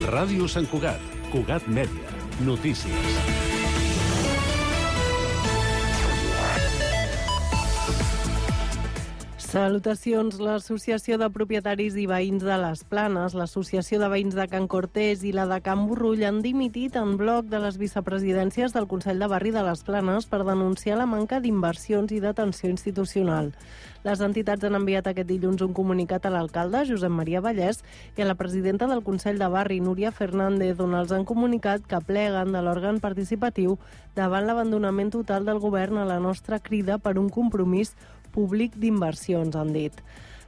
Ràdio Sant Cugat, Cugat Mèdia, notícies. Salutacions. L'Associació de Propietaris i Veïns de les Planes, l'Associació de Veïns de Can Cortés i la de Can Borrull han dimitit en bloc de les vicepresidències del Consell de Barri de les Planes per denunciar la manca d'inversions i d'atenció institucional. Les entitats han enviat aquest dilluns un comunicat a l'alcalde, Josep Maria Vallès, i a la presidenta del Consell de Barri, Núria Fernández, on els han comunicat que pleguen de l'òrgan participatiu davant l'abandonament total del govern a la nostra crida per un compromís públic d'inversions, han dit.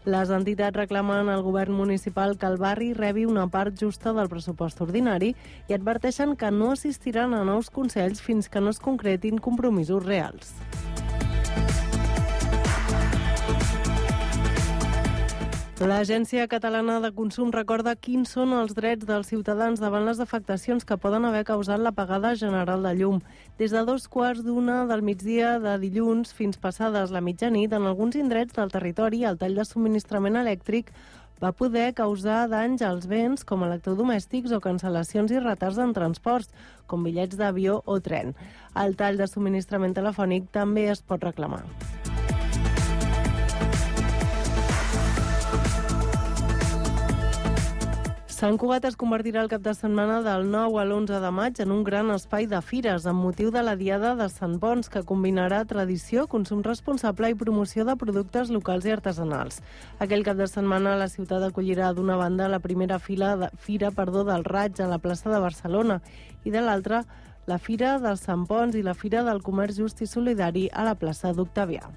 Les entitats reclamen al govern municipal que el barri rebi una part justa del pressupost ordinari i adverteixen que no assistiran a nous consells fins que no es concretin compromisos reals. L'Agència Catalana de Consum recorda quins són els drets dels ciutadans davant les afectacions que poden haver causat l'apagada general de llum. Des de 2:15 del migdia de dilluns fins passades la mitjanit, en alguns indrets del territori, el tall de subministrament elèctric va poder causar danys als béns com electrodomèstics o cancel·lacions i retards en transports, com bitllets d'avió o tren. El tall de subministrament telefònic també es pot reclamar. Sant Cugat es convertirà el cap de setmana del 9 a l'11 de maig en un gran espai de fires amb motiu de la Diada de Sant Ponç, que combinarà tradició, consum responsable i promoció de productes locals i artesanals. Aquell cap de setmana la ciutat acollirà d'una banda la primera fira del Raig a la plaça de Barcelona i de l'altra la Fira del Sant Ponç i la Fira del Comerç Just i Solidari a la plaça d'Octavià.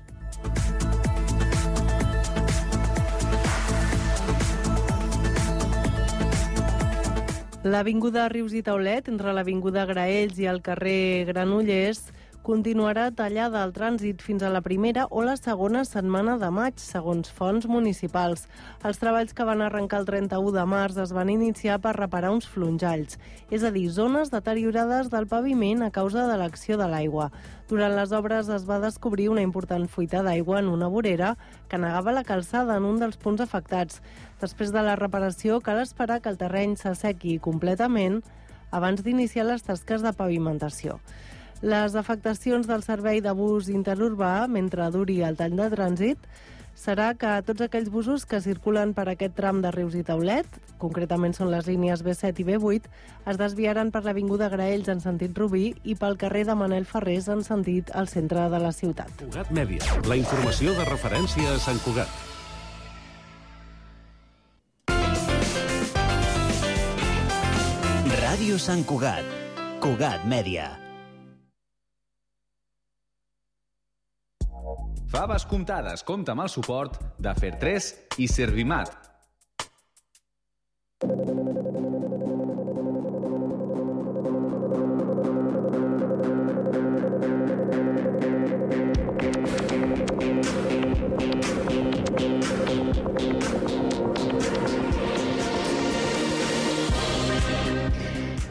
L'avinguda Rius i Taulet, entre l'avinguda Graells i el carrer Granollers, continuarà tallada al trànsit fins a la primera o la segona setmana de maig, segons fonts municipals. Els treballs que van arrencar el 31 de març es van iniciar per reparar uns flonjalls, és a dir, zones deteriorades del paviment a causa de l'acció de l'aigua. Durant les obres es va descobrir una important fuita d'aigua en una vorera que negava la calçada en un dels punts afectats. Després de la reparació, cal esperar que el terreny s'assequi completament abans d'iniciar les tasques de pavimentació. Les afectacions del servei de bus interurbà, mentre duri el tall de trànsit, serà que tots aquells busos que circulen per aquest tram de Rius i Taulet, concretament són les línies B7 i B8, es desviaran per l'avinguda Graells en sentit Rubí i pel carrer de Manel Ferrés en sentit al centre de la ciutat. Cugat Mèdia, la informació de referència a Sant Cugat. Ràdio Sant Cugat, Cugat Mèdia. Faves comptades compta amb el suport de Fer3 i Servimat.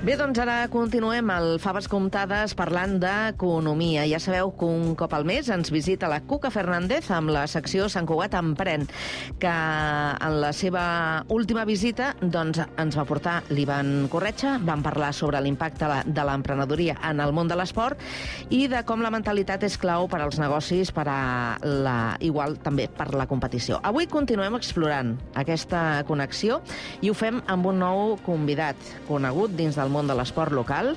Bé, doncs ara continuem al Faves Comptades parlant d'economia. Ja sabeu que un cop al mes ens visita la Cuca Fernández amb la secció Sant Cugat Emprèn, que en la seva última visita doncs, ens va portar l'Ivan Corretxa. Vam parlar sobre l'impacte de l'emprenedoria en el món de l'esport i de com la mentalitat és clau per als negocis, igual també per la competició. Avui continuem explorant aquesta connexió i ho fem amb un nou convidat, conegut dins del món de l'esport local,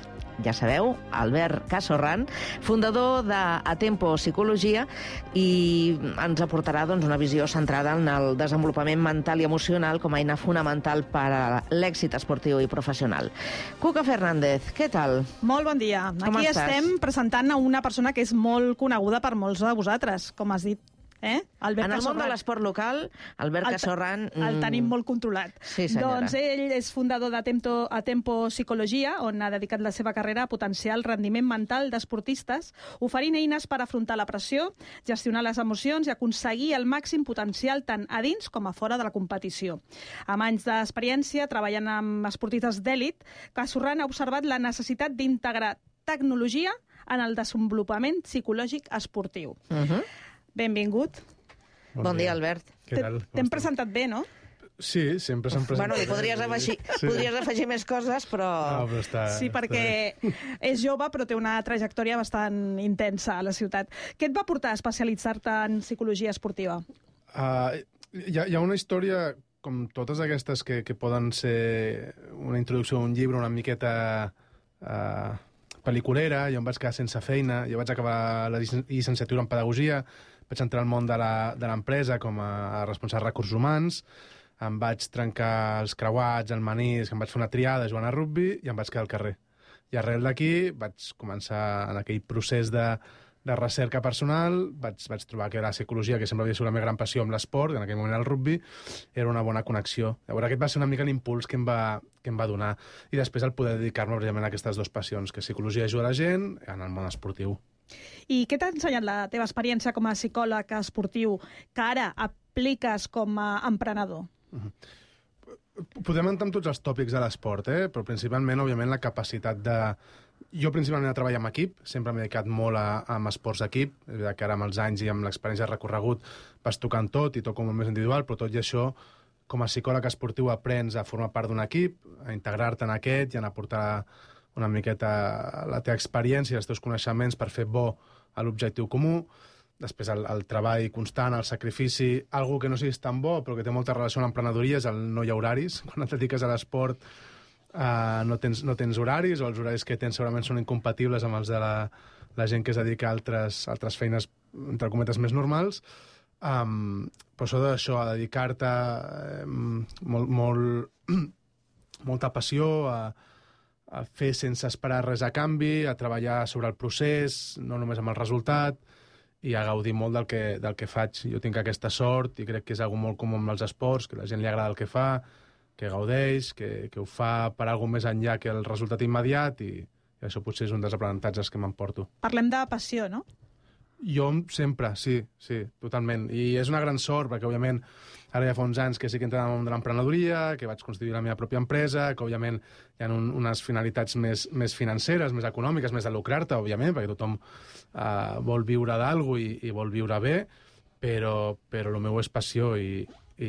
ja sabeu, Albert Casorran, fundador d'Atempo Psicologia, i ens aportarà doncs, una visió centrada en el desenvolupament mental i emocional com a eina fonamental per a l'èxit esportiu i professional. Cuca Fernández, què tal? Molt bon dia. Com Aquí estàs? estem presentant a una persona que és molt coneguda per molts de vosaltres, com has dit. Albert En el món Casorran. de l'esport local, Albert Casorran... El tenim molt controlat. Sí, senyora. Doncs ell és fundador d'Atempo Psicologia, on ha dedicat la seva carrera a potenciar el rendiment mental d'esportistes, oferint eines per afrontar la pressió, gestionar les emocions i aconseguir el màxim potencial tant a dins com a fora de la competició. Amb anys d'experiència treballant amb esportistes d'èlit, Casorran ha observat la necessitat d'integrar tecnologia en el desenvolupament psicològic esportiu. Benvingut. Bon dia, Albert. Què tal? T'hem presentat bé, no? Sí, sempre se'n presenta. Bueno, podries afegir més coses, però... No, però està... Sí, perquè és jove, però té una trajectòria bastant intensa a la ciutat. Què et va portar a especialitzar-te en psicologia esportiva? Hi ha una història, com totes aquestes que poden ser una introducció a un llibre una miqueta pel·liculera. Jo em vaig quedar sense feina, jo vaig acabar la llicenciatura en pedagogia, vaig entrar al món de l'empresa com a responsable de recursos humans, em vaig trencar els creuats, el menisc, em vaig fer una triada jugant a rugbi i em vaig quedar al carrer. I arrel d'aquí vaig començar en aquell procés de recerca personal, vaig trobar que la psicologia, que sempre havia sigut la meva gran passió amb l'esport, en aquell moment el rugbi, era una bona connexió. Llavors aquest va ser una mica l'impuls que em va donar. I després el poder dedicar-me precisament a aquestes dues passions, que psicologia ajuda la gent en el món esportiu. I què t'ha ensenyat la teva experiència com a psicòleg esportiu que ara apliques com a emprenedor? Podem entrar amb tots els tòpics de l'esport, però principalment, òbviament, la capacitat de... Jo principalment he treballat amb equip, sempre m'he dedicat molt a esports d'equip, és veritat que ara amb els anys i amb l'experiència de recorregut vas tocant tot i toco molt més individual, però tot i això, com a psicòleg esportiu aprens a formar part d'un equip, a integrar-te en aquest i a aportar una miqueta la teva experiència i els teus coneixements per fer bo a l'objectiu comú. Després el treball constant, el sacrifici, algo que no siguis tan bo però que té molta relació amb l'emprenedoria és el no hi ha horaris. Quan et dediques a l'esport no tens horaris, o els horaris que tens segurament són incompatibles amb els de la gent que es dedica a altres feines, entre cometes, més normals. Però això d'això, a dedicar-te molta passió, a fer sense esperar res a canvi, a treballar sobre el procés, no només amb el resultat, i a gaudir molt del que faig. Jo tinc aquesta sort i crec que és algo molt comú amb els esports, que la gent li agrada el que fa, que gaudeix, que ho fa per alguna més enllà que el resultat immediat, i això potser és un dels aprenentatges que m'emporto. Parlem de passió, no? Jo sempre, sí, totalment. I és una gran sort, perquè, òbviament, ara ja fa uns anys que sí que he entrat en el món de l'emprenedoria, que vaig constituir la meva pròpia empresa, que, òbviament, hi ha unes finalitats més financeres, més econòmiques, més de lucrar-te, òbviament, perquè tothom vol viure d'algú i vol viure bé, però el meu és passió i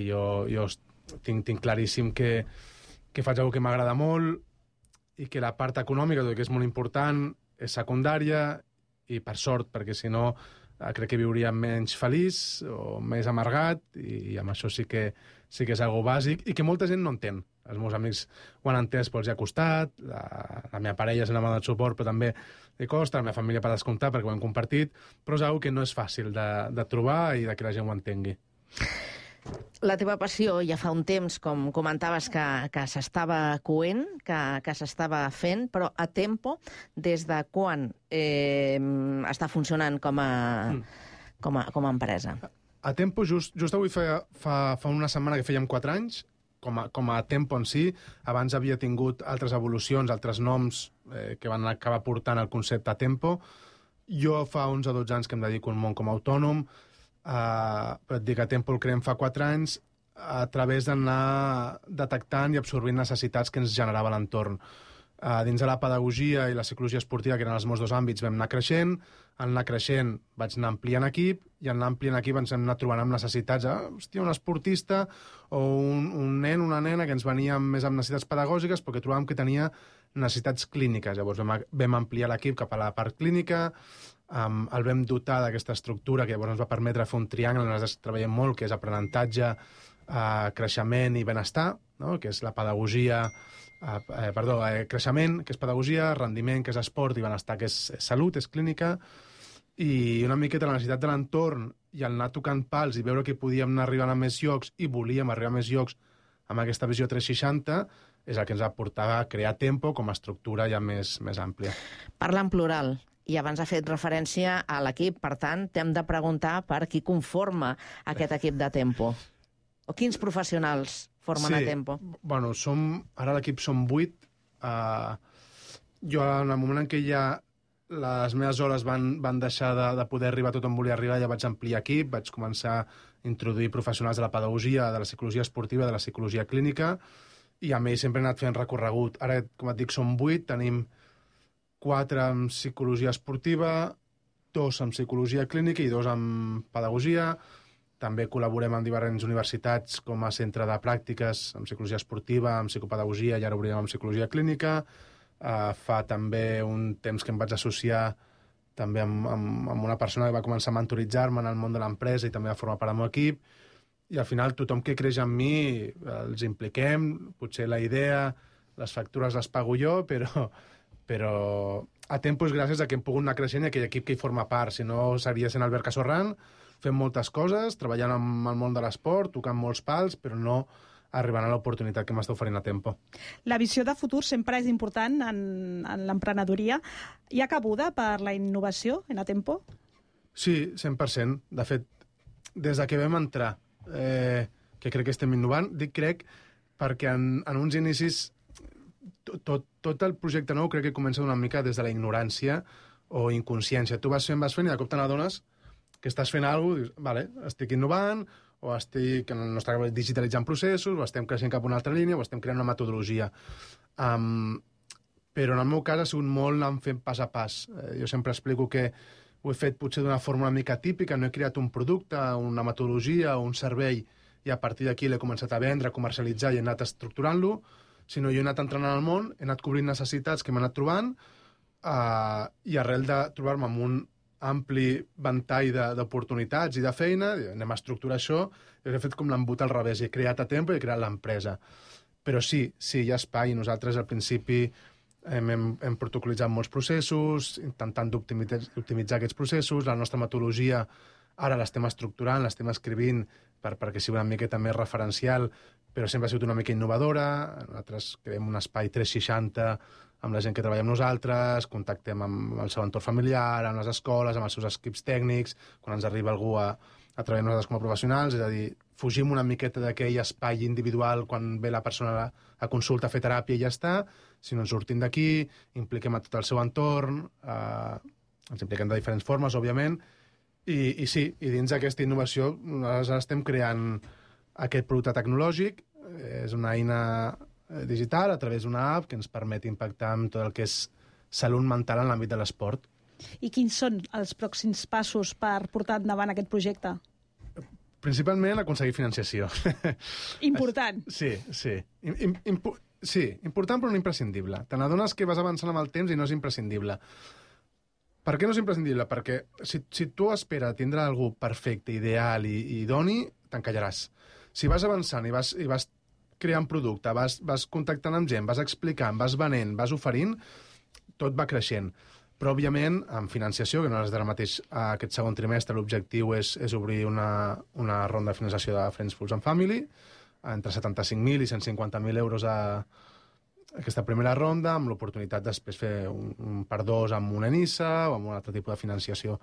jo tinc claríssim que faig alguna que m'agrada molt i que la part econòmica, tot i que és molt important, és secundària, i per sort, perquè si no crec que viuria menys feliç o més amargat, i amb això sí que és algo bàsic i que molta gent no entén. Els meus amics ho han entès, però els hi ha costat, la meva parella se n'ha donat suport, però també li costa, la meva família per descomptar, perquè ho hem compartit, però és algo que no és fàcil de trobar i de que la gent ho entengui. La teva passió ja fa un temps, com comentaves, que s'estava coent, que s'estava fent, però a Tempo, des de quan està funcionant com a empresa? A Tempo, just avui fa una setmana que fèiem 4 anys, com a Tempo en si. Abans havia tingut altres evolucions, altres noms que van acabar portant el concepte a Tempo. Jo fa 11 o 12 anys que em dedico al món com a autònom, però et dic, a Tempo el creem fa 4 anys a través d'anar detectant i absorbint necessitats que ens generava l'entorn. Dins de la pedagogia i la psicologia esportiva, que eren els meus 2 àmbits, vam anar creixent. En anar creixent vaig anar ampliant equip, i en anar ampliant equip ens hem anat trobant amb necessitats. Hòstia, un esportista o un nen, una nena que ens venia més amb necessitats pedagògiques, perquè trobàvem que tenia necessitats clíniques. Llavors vam ampliar l'equip cap a la part clínica, el vam dotar d'aquesta estructura que llavors ens va permetre fer un triangle on ens treballem molt, que és aprenentatge, creixement i benestar, no? Que és la pedagogia, creixement, que és pedagogia, rendiment, que és esport, i benestar, que és salut, és clínica, i una miqueta la necessitat de l'entorn i el anar tocant pals i veure que podíem anar arribant a més llocs i volíem arribar a més llocs amb aquesta visió 360 és el que ens va portar a crear Tempo com a estructura ja més àmplia. Parla en plural. I abans ha fet referència a l'equip, per tant, t'hem de preguntar per qui conforma aquest equip de Tempo. O quins professionals formen a Tempo? Bueno, ara a l'equip som 8. Jo, en el moment en què ja les meves hores van deixar de poder arribar tot on volia arribar, ja vaig ampliar equip, vaig començar a introduir professionals de la pedagogia, de la psicologia esportiva, de la psicologia clínica, i amb ells sempre he anat fent recorregut. Ara, com et dic, som 8, tenim 4 en psicologia esportiva, 2 en psicologia clínica i 2 en pedagogia. També col·laborem amb diferents universitats com a centre de pràctiques amb psicologia esportiva, amb psicopedagogia, i ara obrirem amb psicologia clínica. Fa també un temps que em vaig associar també amb una persona que va començar a mentoritzar-me en el món de l'empresa i també va formar part del meu equip. I al final tothom que creix en mi els impliquem, potser la idea, les factures les pago jo, però a temps gràcies a que hem pogut anar creixent i aquell equip que hi forma part. Si no, seria sent Albert Casorran, fent moltes coses, treballant amb el món de l'esport, tocant molts pals, però no arribant a l'oportunitat que m'està oferint a Tempo. La visió de futur sempre és important en l'emprenedoria. Hi ha cabuda per la innovació en Atempo? Sí, 100%. De fet, des de que vam entrar, que crec que estem innovant, dic crec perquè en uns inicis tot el projecte nou crec que comença una mica des de la ignorància o inconsciència. Tu vas fent i de cop te n'adones que estàs fent alguna cosa, dius, vale, estic innovant, o estic, en el nostre cas, digitalitzant processos, o estem creixent cap a una altra línia, o estem creant una metodologia. Però en el meu cas ha sigut molt anar fent pas a pas. Jo sempre explico que ho he fet potser d'una forma una mica típica, no he creat un producte, una metodologia o un servei, i a partir d'aquí l'he començat a vendre, a comercialitzar i he anat estructurant-lo, sinó jo he anat entrant en el món, he anat cobrint necessitats que m'he anat trobant, i arrel de trobar-me amb un ampli ventall d'oportunitats i de feina, anem a estructurar això, i he fet com l'embut al revés, he creat a Tempo i he creat l'empresa. Però sí, hi ha espai, i nosaltres al principi hem protocolitzat molts processos, intentant optimitzar aquests processos, la nostra metodologia ara l'estem estructurant, l'estem escrivint perquè sigui una miqueta més referencial, però sempre ha sigut una mica innovadora. Nosaltres creem un espai 360 amb la gent que treballa amb nosaltres, contactem amb el seu entorn familiar, amb les escoles, amb els seus equips tècnics, quan ens arriba algú a treballar amb nosaltres com a professionals, és a dir, fugim una miqueta d'aquell espai individual quan ve la persona a consulta a fer teràpia i ja està, sinó ens sortim d'aquí, impliquem a tot el seu entorn, ens impliquem de diferents formes, òbviament, i sí, i dins d'aquesta innovació nosaltres estem creant aquest producte tecnològic, és una eina digital a través d'una app que ens permet impactar en tot el que és salut mental en l'àmbit de l'esport. I quins són els pròxims passos per portar endavant aquest projecte? Principalment aconseguir financiació. Important. Sí. Sí, important però no imprescindible. Te n'adones que vas avançant amb el temps i no és imprescindible. Per què no és imprescindible? Perquè si tu esperes tindre algú perfecte, ideal i idoni, t'encallaràs. Si vas avançant i vas creant producte, vas contactant amb gent, vas explicant, vas venent, vas oferint, tot va creixent. Però, òbviament, amb financiació, que no és d'ara mateix aquest segon trimestre, l'objectiu és obrir una ronda de finançació de Friends, Fools and Family, entre 75.000 i 150.000 euros a aquesta primera ronda, amb l'oportunitat després fer un per dos amb una NISA o amb un altre tipus de financiació.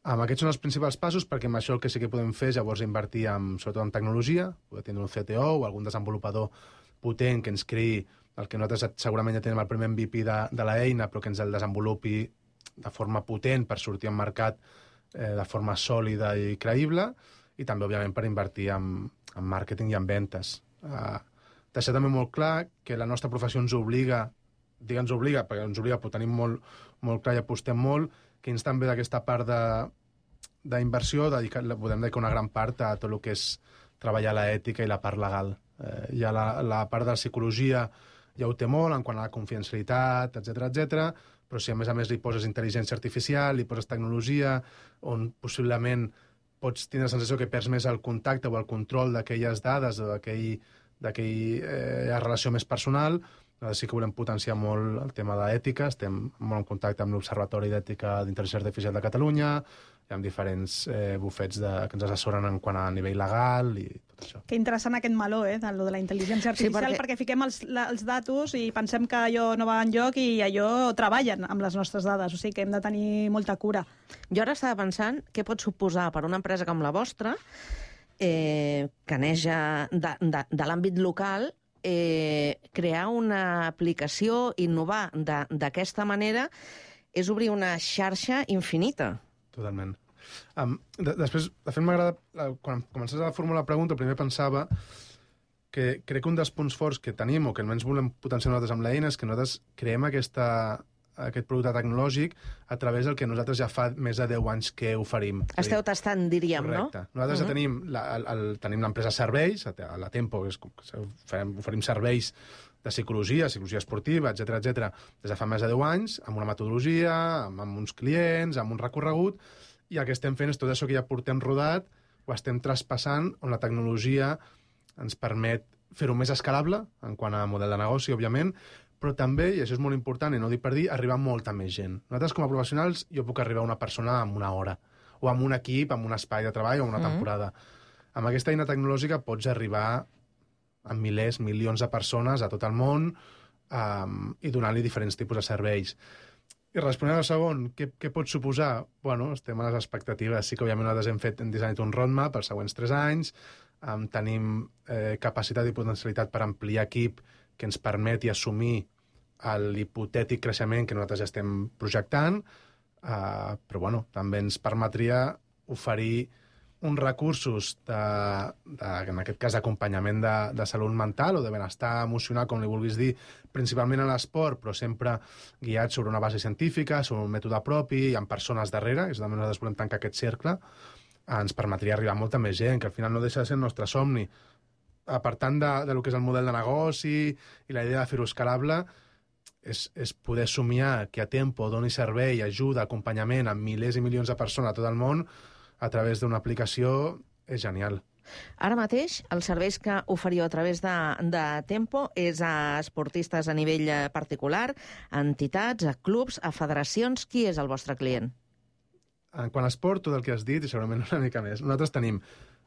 Aquests són els principals passos, perquè amb això el que sí que podem fer és llavors invertir sobretot en tecnologia, poder tindre un CTO o algun desenvolupador potent que ens creï el que nosaltres segurament ja tenim el primer MVP de l'eina, però que ens el desenvolupi de forma potent per sortir al mercat de forma sòlida i creïble, i també, òbviament, per invertir en màrqueting i en ventes. Deixar també molt clar que la nostra professió ens obliga, perquè ens obliga, però tenim molt clar i apostem molt, que ens també d'aquesta part d'inversió podem dedicar una gran part a tot el que és treballar l'ètica i la part legal. Ja la part de la psicologia ja ho té molt, en quant a la confidencialitat, etc. Però si a més li poses intel·ligència artificial, li poses tecnologia, on possiblement pots tindre la sensació que perds més el contacte o el control d'aquelles dades o d'aquella relació més personal, sí que volem potenciar molt el tema d'ètica, estem molt en contacte amb l'Observatori d'Ètica d'Intel·ligència Artificial de Catalunya, hi ha diferents bufets que ens assessoren en quant a nivell legal i tot això. Que interessant aquest meló, de la intel·ligència artificial, perquè fiquem els datos i pensem que allò no va enlloc i allò treballen amb les nostres dades, o sigui que hem de tenir molta cura. Jo ara estava pensant què pot suposar per una empresa com la vostra, que neix de l'àmbit local, crear una aplicació, innovar d'aquesta manera, és obrir una xarxa infinita. Totalment. Després, de fet, m'agrada, quan comences a formular la pregunta, primer pensava que crec que un dels punts forts que tenim, o que almenys volem potenciar nosaltres amb l'eina, és que nosaltres creem aquesta aquest producte tecnològic a través del que nosaltres ja fa més de 10 anys que oferim. Esteu tastant, diríem, correcte. no? Nosaltres ja tenim l'empresa Serveis, a la Tempo, oferim serveis de psicologia esportiva, etc, des de fa més de 10 anys, amb una metodologia, amb uns clients, amb un recorregut, i el que estem fent és tot això que ja portem rodat, ho estem traspassant, on la tecnologia ens permet fer-ho més escalable, en quant a model de negoci, òbviament, però també, i això és molt important, i no dic per dir, arribar a molta més gent. Nosaltres, com a professionals, jo puc arribar a una persona en una hora, o amb un equip, amb un espai de treball, o una temporada. Amb aquesta eina tecnològica pots arribar a milers, milions de persones a tot el món i donar-li diferents tipus de serveis. I responent al segon, què pot suposar? Bueno, estem a les expectatives. Sí que, òbviament, nosaltres hem dissenyat un roadmap pels següents 3 anys, tenim capacitat i potencialitat per ampliar equip que ens permeti assumir l'hipotètic creixement que nosaltres ja estem projectant, però bueno, també ens permetria oferir uns recursos en aquest cas d'acompanyament de salut mental o de benestar emocional, com li vulguis dir, principalment a l'esport, però sempre guiat sobre una base científica, sobre un mètode propi, amb persones darrere, és també nosaltres volem tancar aquest cercle, ens permetria arribar a molta més gent, que al final no deixa de ser el nostre somni. Apartant del que és el model de negoci i la idea de fer-ho escalable, és poder somiar que a Tempo doni servei, ajuda, acompanyament a milers i milions de persones a tot el món a través d'una aplicació, és genial. Ara mateix, els serveis que oferiu a través de Tempo és a esportistes a nivell particular, a entitats, a clubs, a federacions. Qui és el vostre client? En quant a esport, tot el que has dit, i segurament una mica més. Nosaltres tenim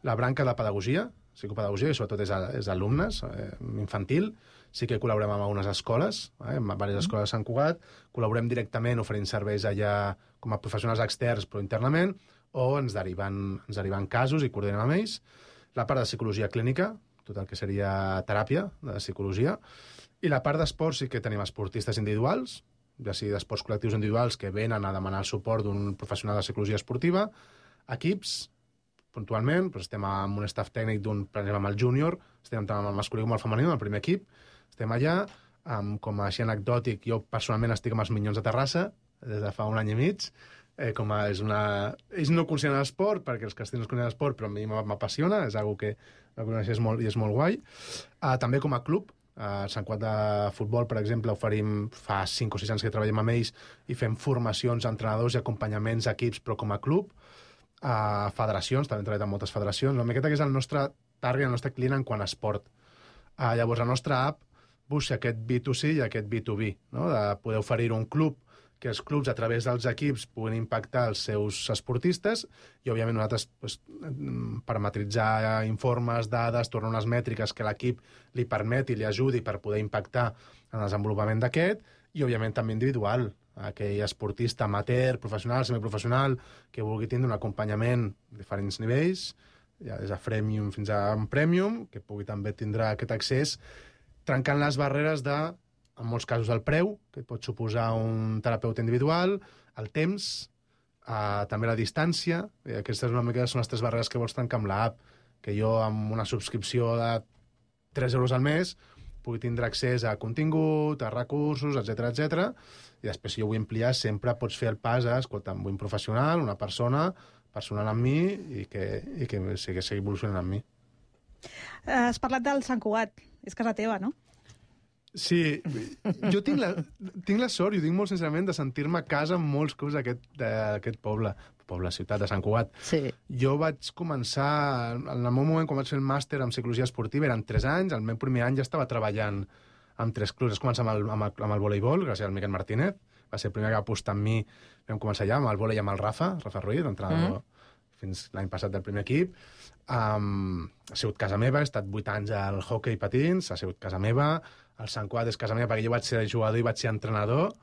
la branca de pedagogia, psicopedagogia, i sobretot és alumnes, infantil. Sí que col·laborem amb algunes escoles, amb diverses escoles de Sant Cugat. Col·laborem directament oferint serveis allà com a professionals externs, però internament, o ens deriven casos i coordinem amb ells. La part de psicologia clínica, tot el que seria teràpia de psicologia. I la part d'esport sí que tenim esportistes individuals, ja sigui d'esports col·lectius individuals que venen a demanar el suport d'un professional de psicologia esportiva, equips, puntualment, però estem amb un staff tècnic per exemple, amb el júnior, estem tant amb el masculí com el femení, amb el primer equip, estem allà, com a així anecdòtic, jo personalment estic amb els Minyons de Terrassa, des de fa un any i mig, ells no consideren esport, perquè els castells no es consideren esport, però a mi m'apassiona, és una que la coneixes molt i és molt guai. També com a club, a Sant Cugat de futbol, per exemple, oferim fa 5 o 6 anys que treballem amb ells i fem formacions a entrenadors i acompanyaments a equips, però com a club. A federacions, també hem treballat amb moltes federacions. La miqueta que és el nostre target, el nostre client en quant a esport. Llavors, la nostra app busca aquest B2C i aquest B2B, no? De poder oferir un club que els clubs, a través dels equips, puguin impactar els seus esportistes i, òbviament, nosaltres parametritzar informes, dades, tornar unes mètriques que l'equip li permeti, li ajudi per poder impactar en el desenvolupament d'aquest i, òbviament, també individual. Aquell esportista amateur, professional, semiprofessional, que vulgui tindre un acompanyament a diferents nivells, ja des de freemium fins a un premium, que pugui també tindre aquest accés, trencant les barreres de, en molts casos, el preu, que pot suposar un terapeuta individual, el temps, també la distància, i aquestes una mica són les 3 barreres que vols trencar amb l'app, que jo amb una subscripció de 3 euros al mes pugui tindre accés a contingut, a recursos, etc. I després, si jo vull ampliar, sempre pots fer el pas a, escolta, vull un professional, una persona personal amb mi i que sigui evolucionant amb mi. Has parlat del Sant Cugat. És casa teva, no? Sí, jo tinc la sort, i ho dic molt sincerament, de sentir-me a casa en molts clubs d'aquest poble, ciutat de Sant Cugat. Sí. Jo vaig començar, en el meu moment, quan vaig fer el màster en psicologia esportiva, eren 3 anys, el meu primer any ja estava treballant amb 3 clubs. Vaig començar amb el voleibol, gràcies al Miquel Martínez, va ser el primer que va apostar en mi, vam començar ja amb el vòlei amb el Rafa Ruiz, entrenador fins l'any passat del primer equip. Ha sigut casa meva, he estat 8 anys al hockey patins, ha sigut casa meva, el Sant Cugat és casa meva perquè jo vaig ser jugador i vaig ser entrenador,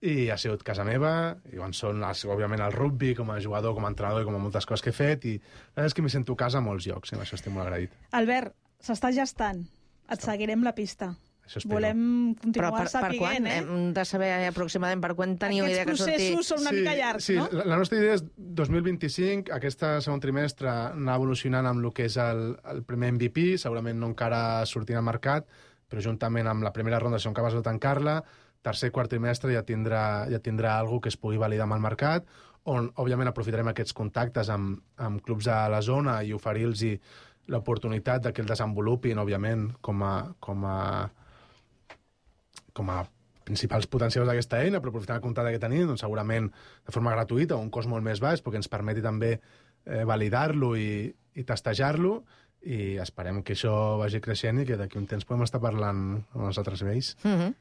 i ha sigut casa meva, i òbviament el rugby com a jugador, com a entrenador i com a moltes coses que he fet, i la veritat és que m'hi sento a casa a molts llocs, i amb això estic molt agraït. Albert, s'està gestant. Et seguirem la pista. Això espero. Volem continuar Per sapiguent, quan? Hem de saber aproximadament per quan teniu idea que sortir. Aquests processos són una mica llargs, no? Sí, la nostra idea és 2025, aquest segon trimestre anar evolucionant amb el que és el primer MVP, segurament no encara sortirà al mercat, però juntament amb la primera ronda som capaços de tancar-la, tercer, quart trimestre ja tindrà alguna que es pugui validar amb el mercat, on, òbviament, aprofitarem aquests contactes amb clubs de la zona i oferir-los l'oportunitat que el desenvolupin, òbviament, com a principals potencials d'aquesta eina, però aprofitant el contacte que tenim, doncs, segurament de forma gratuïta o un cost molt més baix, perquè ens permeti també validar-lo i testejar-lo, i esperem que això vagi creixent i que d'aquí un temps podem estar parlant amb els altres nivells.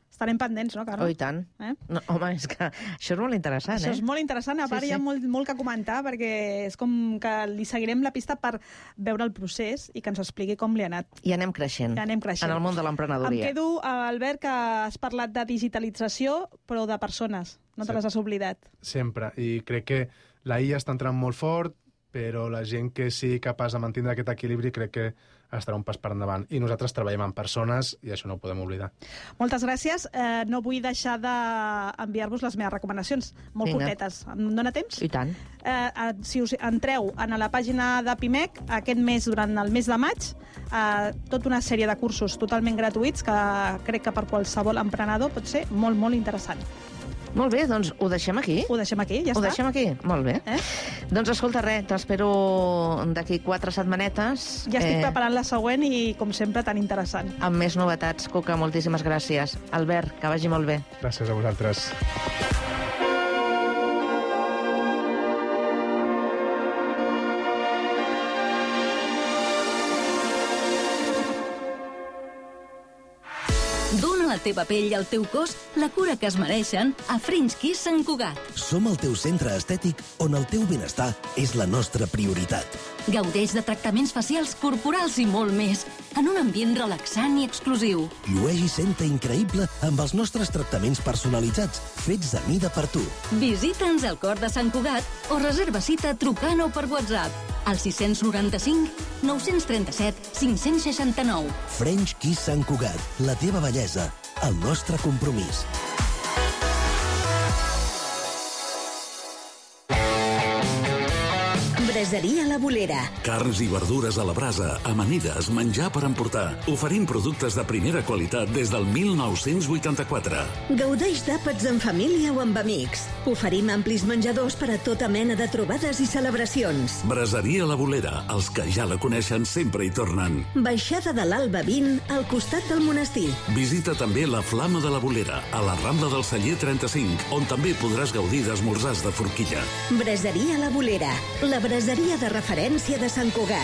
Estarem pendents, no, Carme? Oh, i tant. No, home, és que això és molt interessant, Això és molt interessant. A part, hi ha molt que comentar, perquè és com que li seguirem la pista per veure el procés i que ens expliqui com li ha anat. I anem creixent. En el món de l'emprenedoria. Em quedo, Albert, que has parlat de digitalització, però de persones. No te les has oblidat. Sempre. I crec que la IA està entrant molt fort, però la gent que sigui capaç de mantenir aquest equilibri crec que estarà un pas per endavant. I nosaltres treballem amb persones i això no ho podem oblidar. Moltes gràcies. No vull deixar d'enviar-vos les meves recomanacions. Molt curtetes. Em dóna temps? I tant. Si us entreu a la pàgina de PIMEC, aquest mes, durant el mes de maig, tota una sèrie de cursos totalment gratuïts que crec que per qualsevol emprenedor pot ser molt, molt interessant. Molt bé, doncs ho deixem aquí. Ho deixem aquí, ja està. Ho deixem aquí, molt bé. Doncs escolta, t'espero d'aquí 4 setmanetes. Ja estic preparant la següent i, com sempre, tan interessant. Amb més novetats, Cuca, moltíssimes gràcies. Albert, que vagi molt bé. Gràcies a vosaltres. Dóna a la teva pell i al teu cos la cura que es mereixen a French Kiss Sant Cugat. Som el teu centre estètic on el teu benestar és la nostra prioritat. Gaudeix de tractaments facials, corporals i molt més, en un ambient relaxant i exclusiu. Llueix i senta increïble amb els nostres tractaments personalitzats, fets a mida per tu. Visita'ns al cor de Sant Cugat o reserva cita trucant o per WhatsApp al 695 937 569. French Kiss Sant Cugat, la teva bellesa, el nostre compromís. Braseria La Bolera. Carns i verdures a la brasa, amanides, menjar per emportar. Oferim productes de primera qualitat des del 1984. Gaudeix d'àpats en família o amb amics. Oferim amplis menjadors per a tota mena de trobades i celebracions. Braseria La Bolera. Els que ja la coneixen sempre hi tornen. Baixada de l'Alba 20, al costat del monestir. Visita també la Flama de la Bolera, a la Rambla del Celler 35, on també podràs gaudir d'esmorzars de forquilla. Braseria La Bolera, la braseria de referència de Sant Cugat.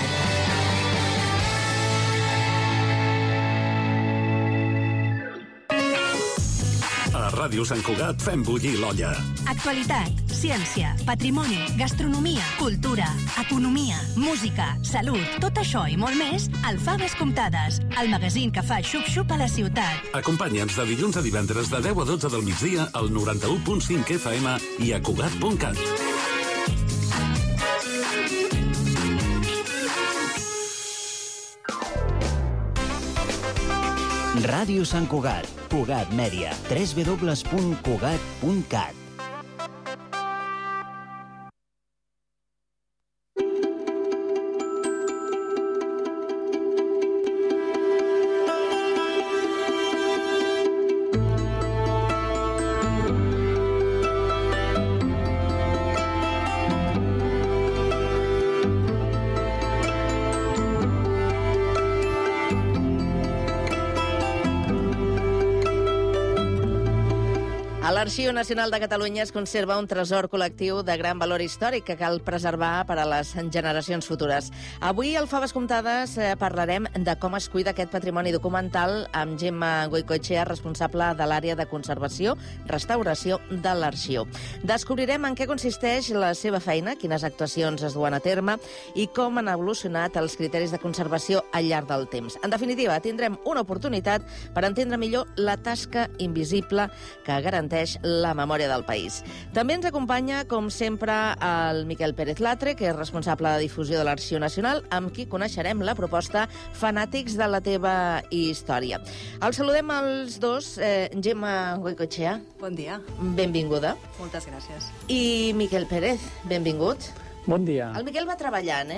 A Ràdio Sant Cugat fem bullir l'olla. Actualitat, ciència, patrimoni, gastronomia, cultura, economia, música, salut, tot això i molt més al Faves Comptades, el magazín que fa xup-xup a la ciutat. Acompanya'ns de dilluns a divendres de 10 a 12 del migdia al 91.5 FM i a Cugat.cat. Ràdio Sant Cugat, Cugat Mèdia, www.cugat.cat. A l'Arxiu Nacional de Catalunya es conserva un tresor col·lectiu de gran valor històric que cal preservar per a les generacions futures. Avui, al Faves Comptades, parlarem de com es cuida aquest patrimoni documental amb Gemma Goicoechea, responsable de l'àrea de conservació, restauració de l'Arxiu. Descobrirem en què consisteix la seva feina, quines actuacions es duen a terme i com han evolucionat els criteris de conservació al llarg del temps. En definitiva, tindrem una oportunitat per entendre millor la tasca invisible que garanteix la memòria del país. També ens acompanya, com sempre, el Miquel Pérez Latre, que és responsable de difusió de l'Arxiu Nacional, amb qui coneixerem la proposta Fanàtics de la teva història. Els saludem els dos. Gemma Goicoechea. Bon dia. Benvinguda. Moltes gràcies. I Miquel Pérez, benvingut. Bon dia. El Miquel va treballant,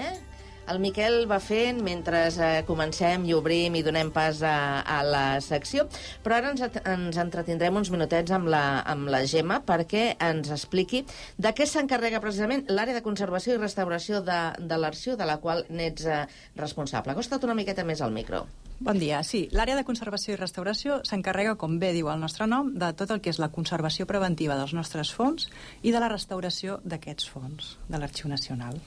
El Miquel va fent mentre comencem i obrim i donem pas a la secció, però ara ens entretindrem uns minutets amb la Gemma perquè ens expliqui de què s'encarrega precisament l'àrea de conservació i restauració de l'arxiu, de la qual n'ets responsable. Acosta't una miqueta més al micro. Bon dia. Sí, l'àrea de conservació i restauració s'encarrega, com bé diu el nostre nom, de tot el que és la conservació preventiva dels nostres fons i de la restauració d'aquests fons, de l'Arxiu Nacional.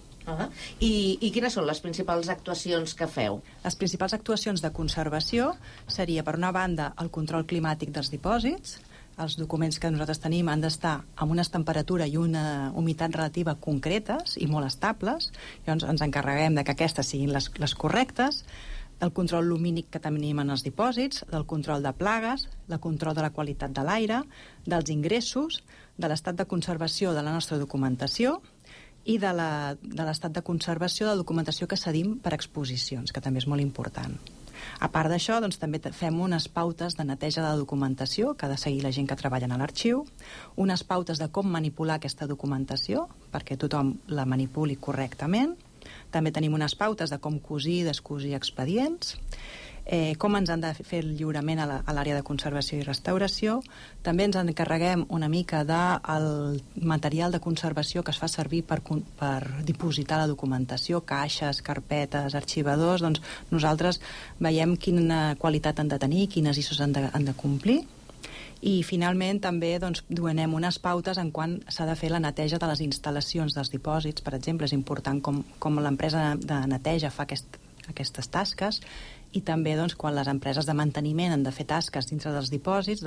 I quines són les principals actuacions que feu? Les principals actuacions de conservació seria, per una banda, el control climàtic dels dipòsits. Els documents que nosaltres tenim han d'estar amb una temperatura i una humitat relativa concretes i molt estables. Llavors ens encarreguem de que aquestes siguin les correctes, del control lumínic que tenim en els dipòsits, del control de plagues, del control de la qualitat de l'aire, dels ingressos, de l'estat de conservació de la nostra documentació i de l'estat de conservació de la documentació que cedim per exposicions, que també és molt important. A part d'això, doncs, també fem unes pautes de neteja de la documentació que ha de seguir la gent que treballa a l'arxiu, unes pautes de com manipular aquesta documentació perquè tothom la manipuli correctament. També tenim unes pautes de com cosir i descosir expedients, com ens han de fer el lliurament a l'àrea de conservació i restauració. També ens encarreguem una mica del material de conservació que es fa servir per dipositar la documentació, caixes, carpetes, arxivadors. Doncs nosaltres veiem quina qualitat han de tenir, quines ISOs han de complir. I finalment també donem unes pautes en quan s'ha de fer la neteja de les instal·lacions dels dipòsits. Per exemple, és important com l'empresa de neteja fa aquestes tasques, i també quan les empreses de manteniment han de fer tasques dintre dels dipòsits,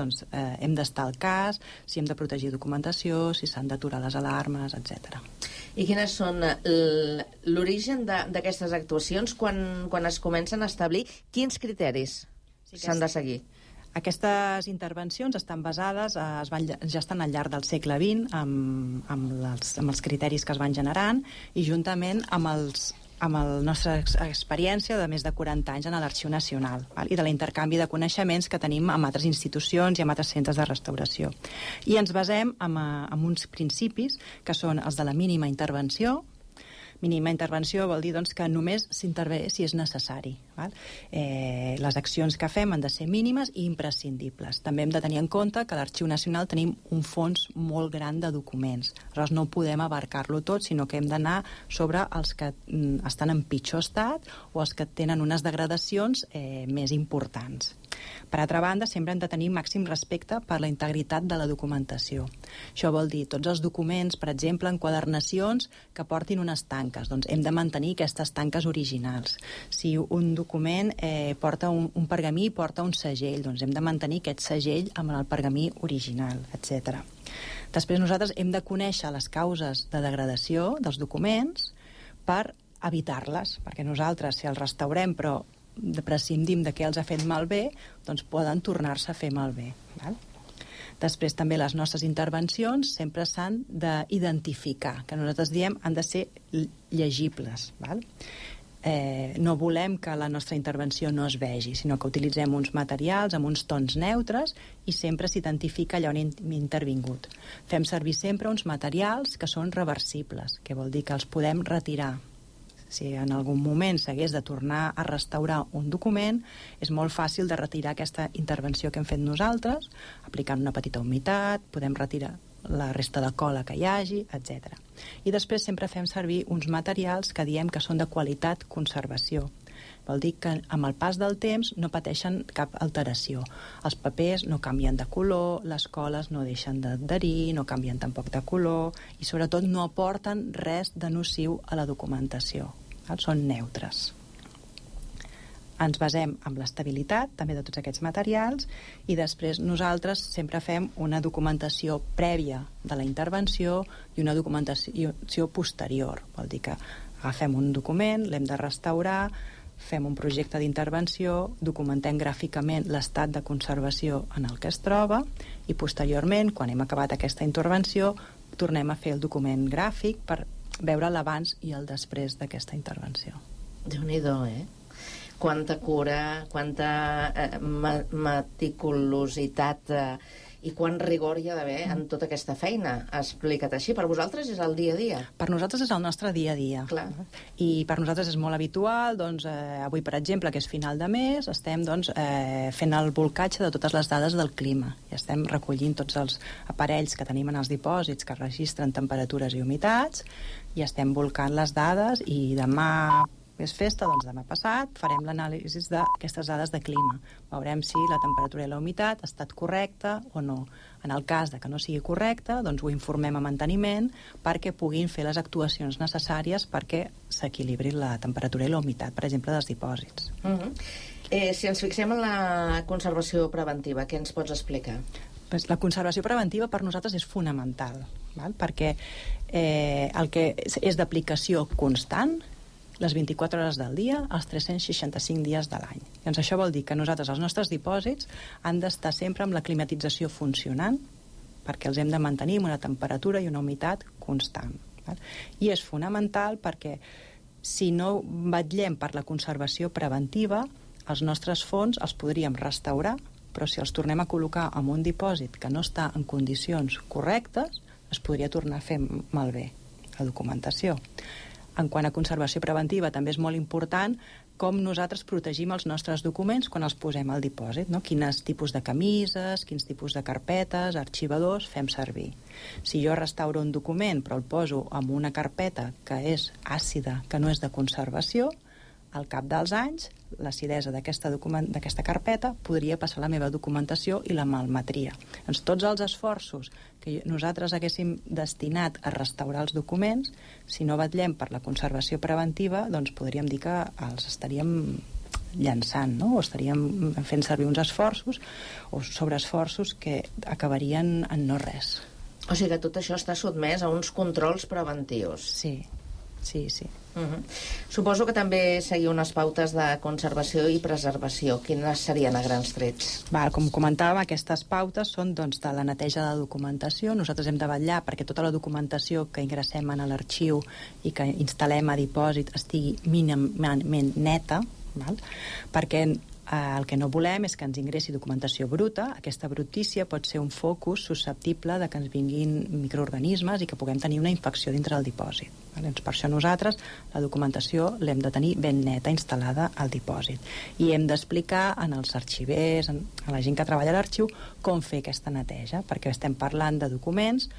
hem d'estar al cas, si hem de protegir documentació, si s'han d'aturar les alarmes, etc. I quines són l'origen d'aquestes actuacions quan es comencen a establir? Quins criteris s'han de seguir? Aquestes intervencions estan basades, ja estan al llarg del segle XX amb els criteris que es van generant i juntament amb la nostra experiència de més de 40 anys en l'Arxiu Nacional i de l'intercanvi de coneixements que tenim amb altres institucions i amb altres centres de restauració. I ens basem en uns principis que són els de la mínima intervenció. Mínima intervenció vol dir que només s'intervé si és necessari. Les accions que fem han de ser mínimes i imprescindibles. També hem de tenir en compte que a l'Arxiu Nacional tenim un fons molt gran de documents. Aleshores no podem abarcar-lo tot, sinó que hem d'anar sobre els que estan en pitjor estat o els que tenen unes degradacions més importants. Per altra banda, sempre hem de tenir màxim respecte per la integritat de la documentació. Això vol dir tots els documents, per exemple, enquadernacions que portin unes tanques. Doncs hem de mantenir aquestes tanques originals. Si un document porta un pergamí, porta un segell, doncs hem de mantenir aquest segell amb el pergamí original, etc. Després nosaltres hem de conèixer les causes de degradació dels documents per evitar-les, perquè nosaltres, si els restaurem però prescindim de què els ha fet malbé, doncs poden tornar-se a fer malbé. Després també les nostres intervencions sempre s'han d'identificar, que nosaltres diem han de ser llegibles. No volem que la nostra intervenció no es vegi, sinó que utilitzem uns materials amb uns tons neutres i sempre s'identifica allà on hem intervingut. Fem servir sempre uns materials que són reversibles, que vol dir que els podem retirar. Si en algun moment s'hagués de tornar a restaurar un document, és molt fàcil de retirar aquesta intervenció que hem fet nosaltres, aplicant una petita humitat, podem retirar la resta de cola que hi hagi, etc. I després sempre fem servir uns materials que diem que són de qualitat conservació. Vol dir que amb el pas del temps no pateixen cap alteració. Els papers no canvien de color, les coles no deixen d'adherir, no canvien tampoc de color i sobretot no aporten res de nociu a la documentació. Són neutres. Ens basem en l'estabilitat també de tots aquests materials i després nosaltres sempre fem una documentació prèvia de la intervenció i una documentació posterior. Vol dir que agafem un document, l'hem de restaurar, fem un projecte d'intervenció, documentem gràficament l'estat de conservació en el que es troba i posteriorment, quan hem acabat aquesta intervenció, tornem a fer el document gràfic per veure l'abans i el després d'aquesta intervenció. Déu-n'hi-do, Quanta cura, quanta meticulositat I quant rigor hi ha d'haver en tota aquesta feina? Explica't així. Per vosaltres és el dia a dia? Per nosaltres és el nostre dia a dia. Clar. I per nosaltres és molt habitual, doncs, avui, per exemple, que és final de mes, estem doncs, fent el bolcatge de totes les dades del clima. I estem recollint tots els aparells que tenim en els dipòsits que registren temperatures i humitats, i estem volcant les dades, i demà és festa, doncs demà passat farem l'anàlisi d'aquestes dades de clima. Veurem si la temperatura i la humitat ha estat correcta o no. En el cas de que no sigui correcta, doncs ho informem a manteniment perquè puguin fer les actuacions necessàries perquè s'equilibri la temperatura i la humitat, per exemple, dels dipòsits. Si ens fixem en la conservació preventiva, què ens pots explicar? La conservació preventiva per nosaltres és fonamental, perquè el que és d'aplicació constant, les 24 hores del dia, els 365 dies de l'any. Doncs això vol dir que nosaltres, els nostres dipòsits, han d'estar sempre amb la climatització funcionant, perquè els hem de mantenir amb una temperatura i una humitat constant. I és fonamental perquè si no vetllem per la conservació preventiva, els nostres fons els podríem restaurar, però si els tornem a col·locar en un dipòsit que no està en condicions correctes, es podria tornar a fer malbé la documentació. En quant a conservació preventiva, també és molt important com nosaltres protegim els nostres documents quan els posem al dipòsit, no? Quins tipus de camises, quins tipus de carpetes, arxivadors fem servir. Si jo restauro un document però el poso en una carpeta que és àcida, que no és de conservació, al cap dels anys, l'acidesa d'aquesta carpeta podria passar la meva documentació i la malmetria. Doncs tots els esforços que nosaltres haguéssim destinat a restaurar els documents, si no vetllem per la conservació preventiva, doncs podríem dir que els estaríem llançant, no? O estaríem fent servir uns esforços o sobreesforços que acabarien en no res. O sigui que tot això està sotmès a uns controls preventius. Sí. Suposo que també seguiu unes pautes de conservació i preservació. Quines serien a grans trets? Com comentàvem, aquestes pautes són doncs, de la neteja de la documentació. Nosaltres hem de vetllar perquè tota la documentació que ingressem en l'arxiu i que instal·lem a dipòsit estigui mínimament neta, perquè el que no volem és que ens ingressi documentació bruta. Aquesta brutícia pot ser un focus susceptible de que ens vinguin microorganismes i que puguem tenir una infecció dintre del dipòsit. Doncs per això nosaltres la documentació l'hem de tenir ben neta instal·lada al dipòsit. I hem d'explicar als arxivers, a la gent que treballa a l'arxiu, com fer aquesta neteja, perquè estem parlant de documents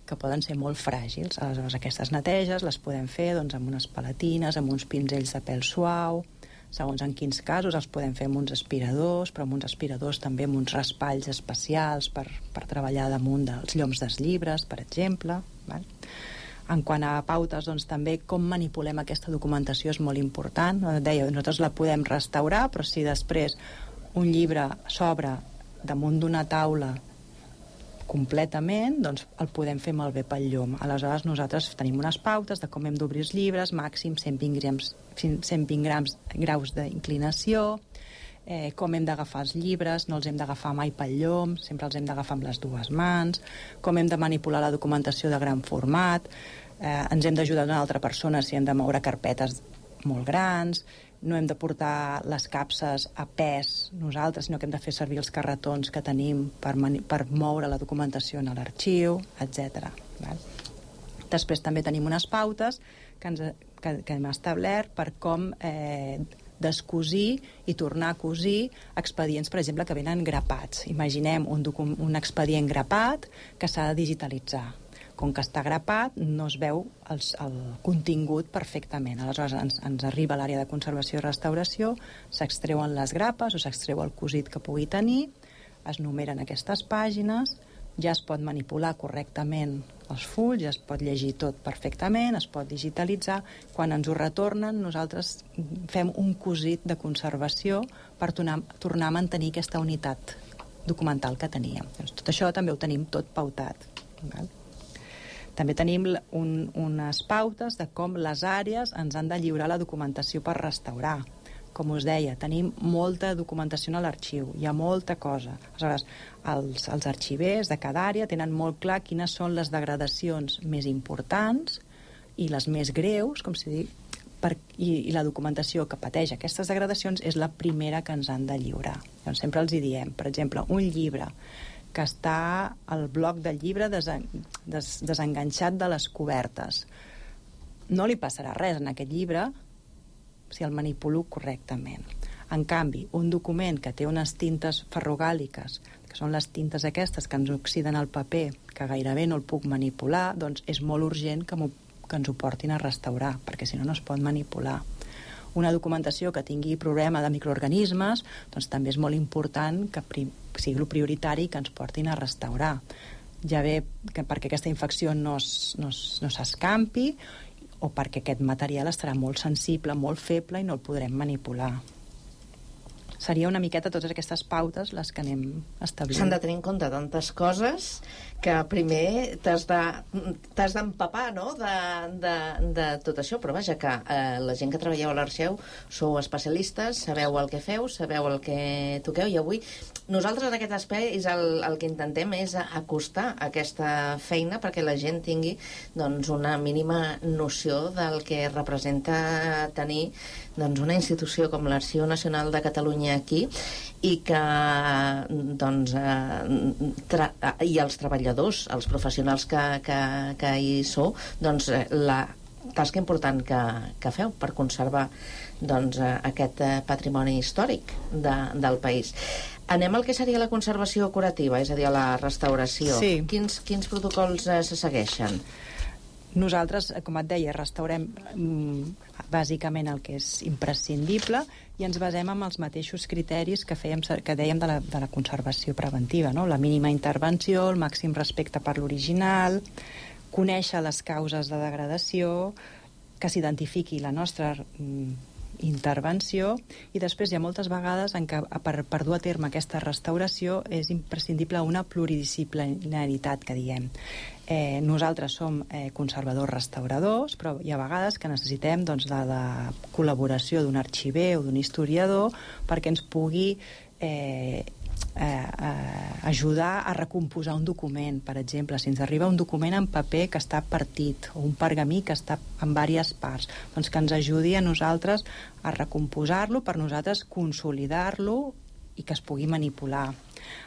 que poden ser molt fràgils. Aleshores, aquestes neteges les podem fer amb unes palatines, amb uns pinzells de pèl suau. Segons en quins casos els podem fer amb uns aspiradors, però amb uns aspiradors també amb uns raspalls especials per treballar damunt dels lloms dels llibres, per exemple. En quant a pautes, doncs també com manipulem aquesta documentació és molt important. Deia, nosaltres la podem restaurar, però si després un llibre s'obre damunt d'una taula completament, doncs el podem fer malbé pel llum. Aleshores, nosaltres tenim unes pautes de com hem d'obrir els llibres, màxim 120 graus d'inclinació, com hem d'agafar els llibres, no els hem d'agafar mai pel llum, sempre els hem d'agafar amb les dues mans, com hem de manipular la documentació de gran format, ens hem d'ajudar d'una altra persona si hem de moure carpetes molt grans, no hem de portar les capses a pes nosaltres, sinó que hem de fer servir els carretons que tenim per moure la documentació en l'arxiu, etc. Després també tenim unes pautes que hem establert per com descosir i tornar a cosir expedients, per exemple, que venen grapats. Imaginem un expedient grapat que s'ha de digitalitzar. Com que està grapat, no es veu el contingut perfectament. Aleshores, ens arriba a l'àrea de conservació i restauració, s'extreuen les grapes o s'extreu el cosit que pugui tenir, es numeren aquestes pàgines, ja es pot manipular correctament els fulls, ja es pot llegir tot perfectament, es pot digitalitzar. Quan ens ho retornen, nosaltres fem un cosit de conservació per tornar a mantenir aquesta unitat documental que teníem. Tot això també ho tenim tot pautat. També tenim unes pautes de com les àrees ens han de lliurar la documentació per restaurar. Com us deia, tenim molta documentació a l'arxiu, hi ha molta cosa. Aleshores, els arxivers de cada àrea tenen molt clar quines són les degradacions més importants i les més greus, com si dic, i la documentació que pateix aquestes degradacions és la primera que ens han de lliurar. Llavors, sempre els hi diem, per exemple, un llibre que està el bloc del llibre desenganxat de les cobertes. No li passarà res en aquest llibre si el manipulo correctament. En canvi, un document que té unes tintes ferrogàliques, que són les tintes aquestes que ens oxiden el paper, que gairebé no el puc manipular, doncs és molt urgent que ens ho portin a restaurar, perquè si no, no es pot manipular. Una documentació que tingui problema de microorganismes, doncs també és molt important que sigui el prioritari que ens portin a restaurar. Ja bé perquè aquesta infecció no s'escampi o perquè aquest material estarà molt sensible, molt feble i no el podrem manipular. Seria una miqueta totes aquestes pautes les que anem establint. S'han de tenir en compte tantes coses que primer t'has d'empapar, no?, de tot això, però vaja, que la gent que treballeu a l'Arxeu sou especialistes, sabeu el que feu, sabeu el que toqueu, i avui nosaltres en aquest espai el que intentem és acostar aquesta feina perquè la gent tingui doncs una mínima noció del que representa tenir doncs una institució com l'Arxiu Nacional de Catalunya aquí, i que doncs i els treballadors, els professionals que hi sou, doncs la tasca important que feu per conservar doncs aquest patrimoni històric del país. Anem al que seria la conservació curativa, és a dir, a la restauració. Sí. Quins protocols se segueixen? Nosaltres, com et deia, restaurem bàsicament el que és imprescindible i ens basem en els mateixos criteris que dèiem de la conservació preventiva, no? La mínima intervenció, el màxim respecte per l'original, conèixer les causes de degradació, que s'identifiqui la nostra intervenció, i després hi ha moltes vegades en què per dur a terme aquesta restauració és imprescindible una pluridisciplinaritat, que diem. Nosaltres som conservadors restauradors, però hi ha vegades que necessitem de la col·laboració d'un arxiver o d'un historiador perquè ens pugui ajudar a recomposar un document. Per exemple, si ens arriba un document en paper que està partit o un pergamí que està en diverses parts, doncs que ens ajudi a nosaltres a recomposar-lo, per nosaltres consolidar-lo i que es pugui manipular.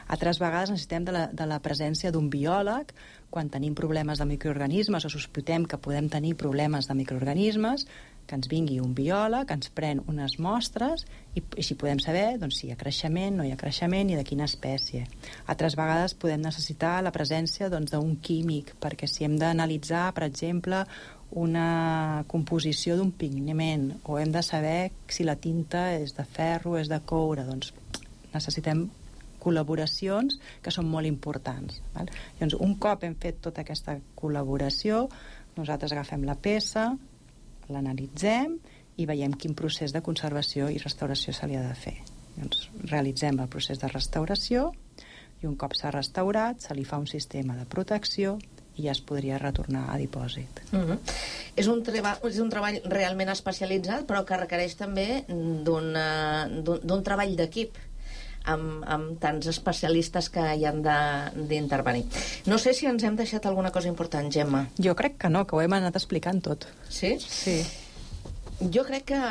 Altres vegades necessitem de la presència d'un biòleg quan tenim problemes de microorganismes o sospitem que podem tenir problemes de microorganismes, que ens vingui un biòleg, que ens pren unes mostres i si podem saber doncs, si hi ha creixement, no hi ha creixement i de quina espècie. Altres vegades podem necessitar la presència d'un químic, perquè si hem d'analitzar, per exemple, una composició d'un pigment o hem de saber si la tinta és de ferro o és de coure, doncs necessitem col·laboracions que són molt importants. Val? Llavors, un cop hem fet tota aquesta col·laboració, nosaltres agafem la peça, l'analitzem i veiem quin procés de conservació i restauració se li ha de fer. Llavors, realitzem el procés de restauració i un cop s'ha restaurat se li fa un sistema de protecció i ja es podria retornar a dipòsit. És un treball realment especialitzat, però que requereix també d'un treball d'equip amb tants especialistes que hi han d'intervenir. No sé si ens hem deixat alguna cosa important, Gemma. Jo crec que no, que ho hem anat explicant tot. Sí? Sí. Jo crec que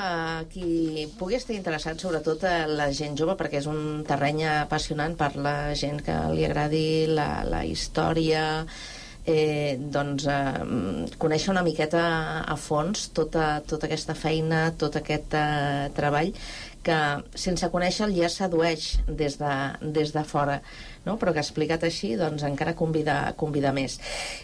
qui pugui estar interessat, sobretot la gent jove, perquè és un terreny apassionant per la gent que li agradi la història, doncs conèixer una miqueta a fons tota aquesta feina, tot aquest treball que sense conèixer-lo ja sedueix des de fora, no? Però que explicat així doncs encara convida més.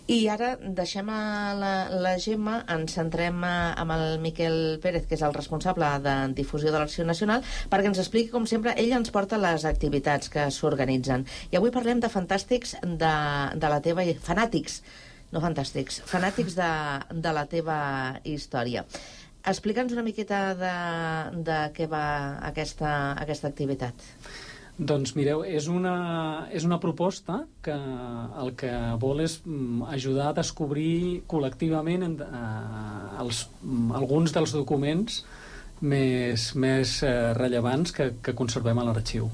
I ara deixem la Gemma, ens centrem amb el Miquel Pérez, que és el responsable de difusió de l'Arxiu Nacional, perquè ens expliqui, com sempre, ell ens porta les activitats que s'organitzen. I avui parlem de fantàstics de la teva... fanàtics, no fantàstics, fanàtics de la teva història. Explica'ns una miqueta de què va aquesta activitat. Doncs mireu, és una proposta que el que vol és ajudar a descobrir col·lectivament alguns dels documents més rellevants que conservem a l'arxiu.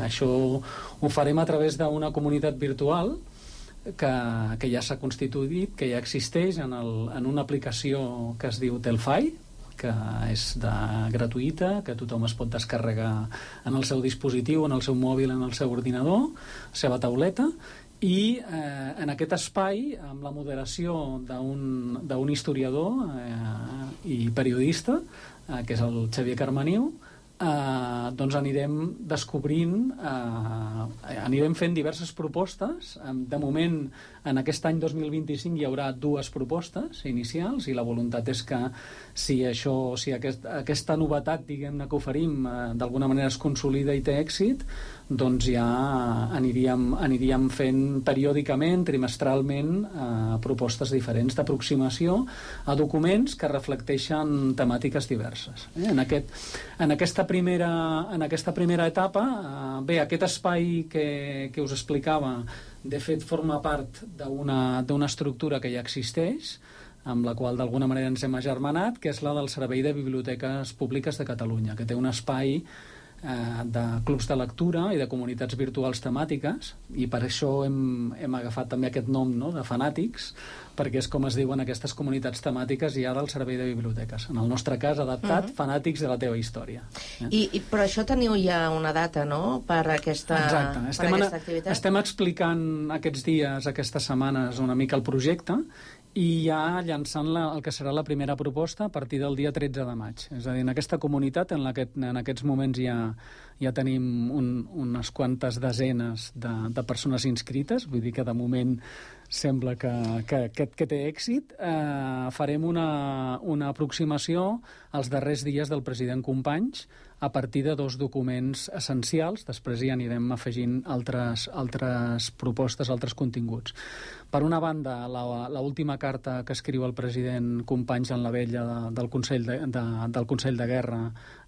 Això ho farem a través d'una comunitat virtual que ja s'ha constituït, que ja existeix en una aplicació que es diu Telfai, que és gratuïta, que tothom es pot descarregar en el seu dispositiu, en el seu mòbil, en el seu ordinador, la seva tauleta, i en aquest espai, amb la moderació d'un historiador i periodista, que és el Xavier Carmaniu, doncs anirem descobrint, anirem fent diverses propostes. De moment, en aquest any 2025 hi haurà 2 propostes inicials, i la voluntat és que si aquesta novetat, diguem-ne, que oferim d'alguna manera es consolida i té èxit, doncs ja aniríem fent periòdicament, trimestralment, propostes diferents d'aproximació a documents que reflecteixen temàtiques diverses. En aquesta primera etapa, bé, aquest espai que us explicava, de fet, forma part d'una estructura que ja existeix, amb la qual d'alguna manera ens hem agermanat, que és la del Servei de Biblioteques Públiques de Catalunya, que té un espai de clubs de lectura i de comunitats virtuals temàtiques, i per això hem agafat també aquest nom, no?, de fanàtics, perquè és com es diuen aquestes comunitats temàtiques ja del Servei de Biblioteques. En el nostre cas, adaptat, fanàtics de la teva història. Però això teniu ja una data, no?, per aquesta activitat? Estem explicant aquests dies, aquestes setmanes, una mica el projecte, i ja llançant el que serà la primera proposta a partir del dia 13 de maig. És a dir, en aquesta comunitat, en aquests moments ja tenim unes quantes desenes de persones inscrites, vull dir que de moment sembla que té èxit. Farem una aproximació als darrers dies del president Companys a partir de 2 documents essencials. Després hi anirem afegint altres propostes, altres continguts. Per una banda, l'última carta que escriu el president Companys en la vella del Consell de Guerra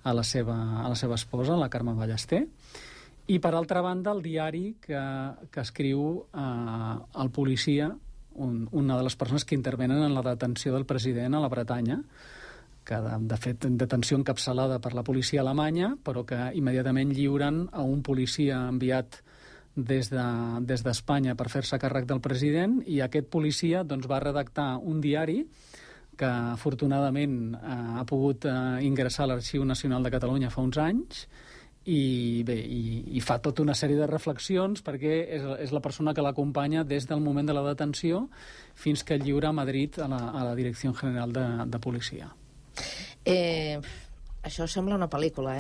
a la seva esposa, la Carme Ballester, i per altra banda el diari que escriu el policia, una de les persones que intervenen en la detenció del president a la Bretanya, que de fet detenció encapçalada per la policia alemanya, però que immediatament lliuren a un policia enviat des d'Espanya per fer-se càrrec del president, i aquest policia doncs, va redactar un diari que afortunadament ha pogut ingressar a l'Arxiu Nacional de Catalunya fa uns anys, i bé, i fa tota una sèrie de reflexions, perquè és la persona que l'acompanya des del moment de la detenció fins que lliura a Madrid a la Direcció General de Policia. Això sembla una pel·lícula,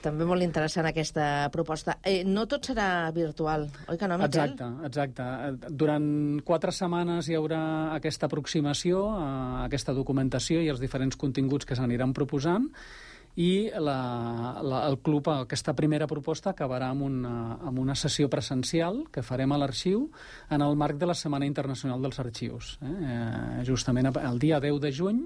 també molt interessant aquesta proposta. No tot serà virtual, oi que no, Miquel? Exacte. Durant 4 setmanes hi haurà aquesta aproximació a aquesta documentació i els diferents continguts que s'aniran proposant, i el club, aquesta primera proposta, acabarà amb una sessió presencial que farem a l'arxiu en el marc de la Setmana Internacional dels Arxius. Justament el dia 10 de juny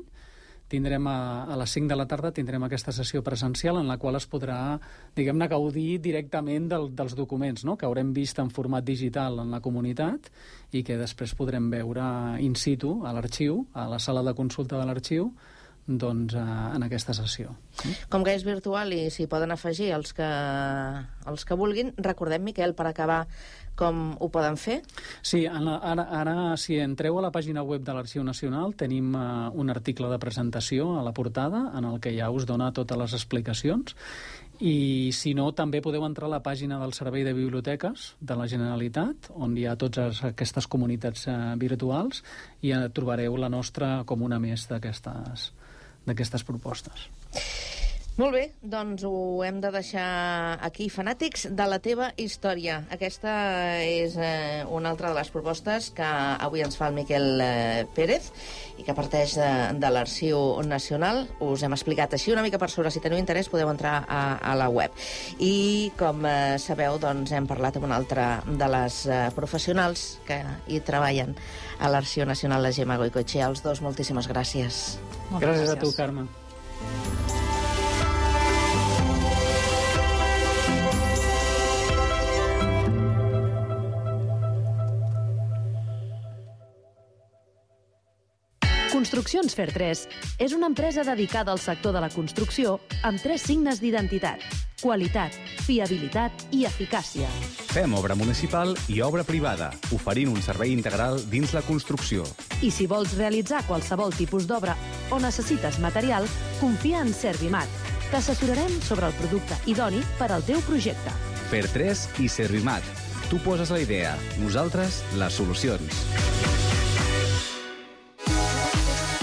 tindrem a les 5 de la tarda tindrem aquesta sessió presencial en la qual es podrà, diguem-ne, gaudir directament dels documents, no?, que haurem vist en format digital en la comunitat i que després podrem veure in situ a l'arxiu, a la sala de consulta de l'arxiu, doncs en aquesta sessió. Com que és virtual i s'hi poden afegir els que vulguin, recordem, Miquel, per acabar, com ho poden fer? Sí, ara si entreu a la pàgina web de l'Arxiu Nacional tenim un article de presentació a la portada en el que ja us dona totes les explicacions, i si no també podeu entrar a la pàgina del Servei de Biblioteques de la Generalitat, on hi ha totes aquestes comunitats virtuals, i trobareu la nostra com una més d'aquestes propostes. Molt bé, doncs ho hem de deixar aquí. Fanàtics de la teva història. Aquesta és una altra de les propostes que avui ens fa el Miquel Pérez i que parteix de l'Arxiu Nacional. Us hem explicat així una mica per sobre. Si teniu interès podeu entrar a la web. I com sabeu, doncs hem parlat amb una altra de les professionals que hi treballen a l'Arxiu Nacional, la Gemma Goicoechea. Els dos, moltíssimes gràcies. Gràcies a tu, Carme. Construccions Fer3 és una empresa dedicada al sector de la construcció amb 3 signes d'identitat: qualitat, fiabilitat i eficàcia. Fem obra municipal i obra privada, oferint un servei integral dins la construcció. I si vols realitzar qualsevol tipus d'obra o necessites material, confia en Servimat. T'assessorarem sobre el producte idoni per al teu projecte. FER3 i Servimat. Tu poses la idea, nosaltres les solucions.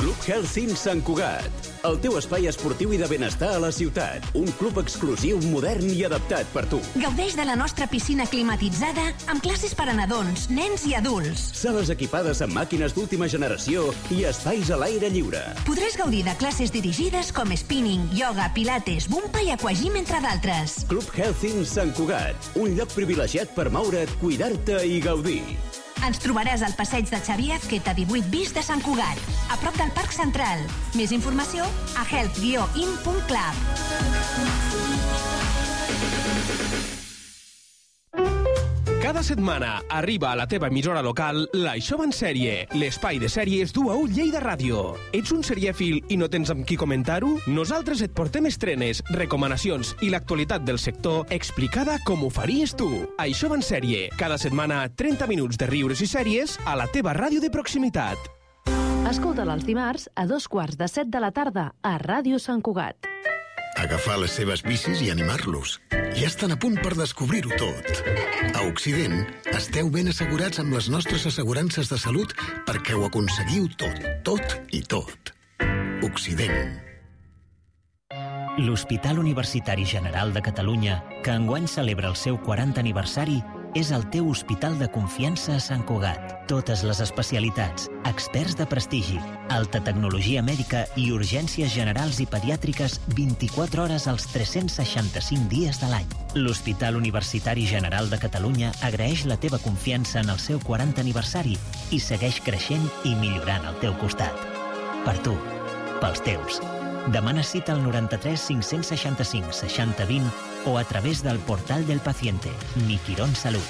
Club Health Sant Cugat. El teu espai esportiu i de benestar a la ciutat. Un club exclusiu, modern i adaptat per tu. Gaudeix de la nostra piscina climatitzada amb classes per a nadons, nens i adults. Sales equipades amb màquines d'última generació i espais a l'aire lliure. Podràs gaudir de classes dirigides com spinning, yoga, pilates, bumpa i aquagym, entre d'altres. Club Health Sant Cugat. Un lloc privilegiat per moure't, cuidar-te i gaudir. Ens trobaràs al passeig de Xavier Azqueta 18 bis de Sant Cugat, a prop del Parc Central. Més informació a health-in.club. Cada setmana arriba a la teva emissora local l'Això va en sèrie, l'espai de sèries d'U a U Lleida Ràdio. Ets un serièfil i no tens amb qui comentar-ho? Nosaltres et portem estrenes, recomanacions i l'actualitat del sector explicada com ho faries tu. Això va en sèrie, cada setmana 30 minuts de riures i sèries a la teva ràdio de proximitat. Escolta'l els dimarts a 2:15 de la tarda a Ràdio Sant Cugat. Agafar les seves bicis i animar-los. Ja estan a punt per descobrir-ho tot. A Occident, esteu ben assegurats amb les nostres assegurances de salut perquè ho aconseguiu tot i tot. Occident. L'Hospital Universitari General de Catalunya, que enguany celebra el seu 40 aniversari, és el teu hospital de confiança a Sant Cugat. Totes les especialitats, experts de prestigi, alta tecnologia mèdica i urgències generals i pediàtriques 24 hores als 365 dies de l'any. L'Hospital Universitari General de Catalunya agraeix la teva confiança en el seu 40 aniversari i segueix creixent i millorant al teu costat. Per tu, pels teus. Demana cita al 93 565 60 20 o a través del portal del paciente, Mi Quirón Salud.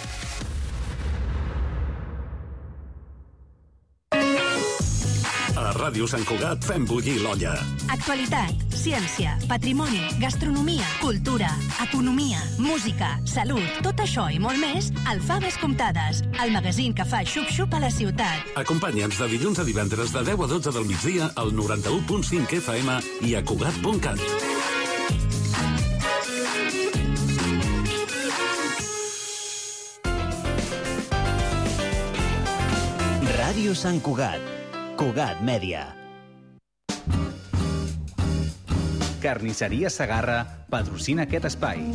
A Ràdio Sant Cugat fem bullir l'olla. Actualitat, ciència, patrimoni, gastronomia, cultura, economia, música, salut, tot això i molt més al Faves Comptades, el magazín que fa xup-xup a la ciutat. Acompanya'ns de dilluns a divendres de 10 a 12 del migdia al 91.5 FM i a Cugat.cat. Ràdio Sant Cugat. Cugat Mèdia. Carnisseria Segarra patrocina aquest espai.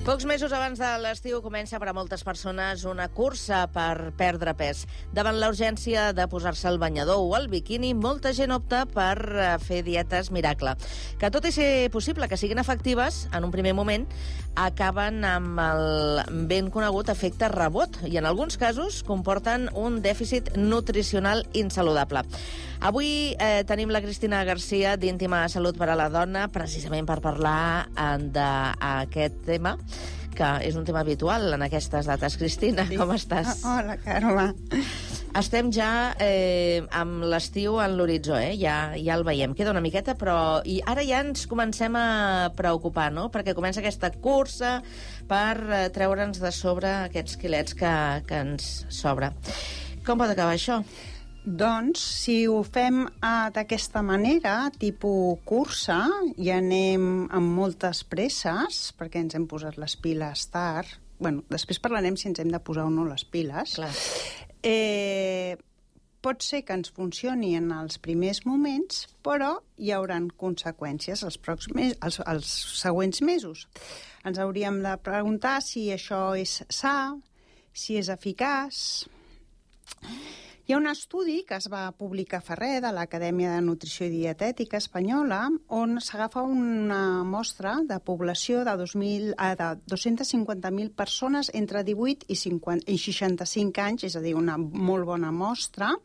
Pocs mesos abans de l'estiu comença per a moltes persones una cursa per perdre pes. Davant la urgència de posar-se el banyador o el biquini, molta gent opta per fer dietes miracle, que tot i ser possible que siguin efectives, en un primer moment, acaben amb el ben conegut efecte rebot i en alguns casos comporten un dèficit nutricional insaludable. Avui tenim la Cristina Garcia d'Íntima Salut per a la Dona, precisament per parlar d'aquest tema, que és un tema habitual en aquestes dates. Cristina, com estàs? Hola, Carme. Estem ja amb l'estiu en l'horitzó, ja el veiem. Queda una miqueta, però i ara ja ens comencem a preocupar, no? Perquè comença aquesta cursa per treure'ns de sobre aquests quilets que ens sobra. Com pot acabar això? Doncs, si ho fem d'aquesta manera, tipus cursa, i anem amb moltes presses, perquè ens hem posat les piles tard, bueno, després parlarem si ens hem de posar o no les piles, clar. Pot ser que ens funcioni en els primers moments, però hi haurà conseqüències els següents mesos. Ens hauríem de preguntar si això és sa, si és eficaç. Hi ha un estudi que es va publicar fa res de l'Acadèmia de Nutrició i Dietètica Espanyola on s'agafa una mostra de població de 250.000 persones entre 18 i 65 anys, és a dir, una molt bona mostra,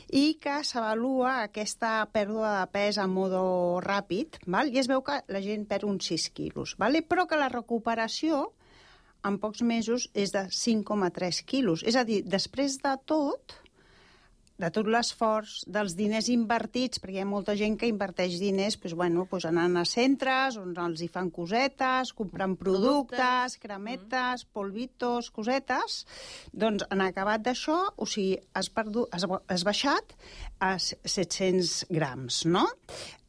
i que s'avalua aquesta pèrdua de pes a modo ràpid, val? I es veu que la gent perd uns 6 quilos, val? Però que la recuperació en pocs mesos és de 5,3 quilos. És a dir, després de tot l'esforç, dels diners invertits, perquè hi ha molta gent que inverteix diners anant a centres on els hi fan cosetes, comprant productes, cremetes, polvitos, cosetes, doncs en acabat d'això, o sigui, has baixat a 700 grams, no?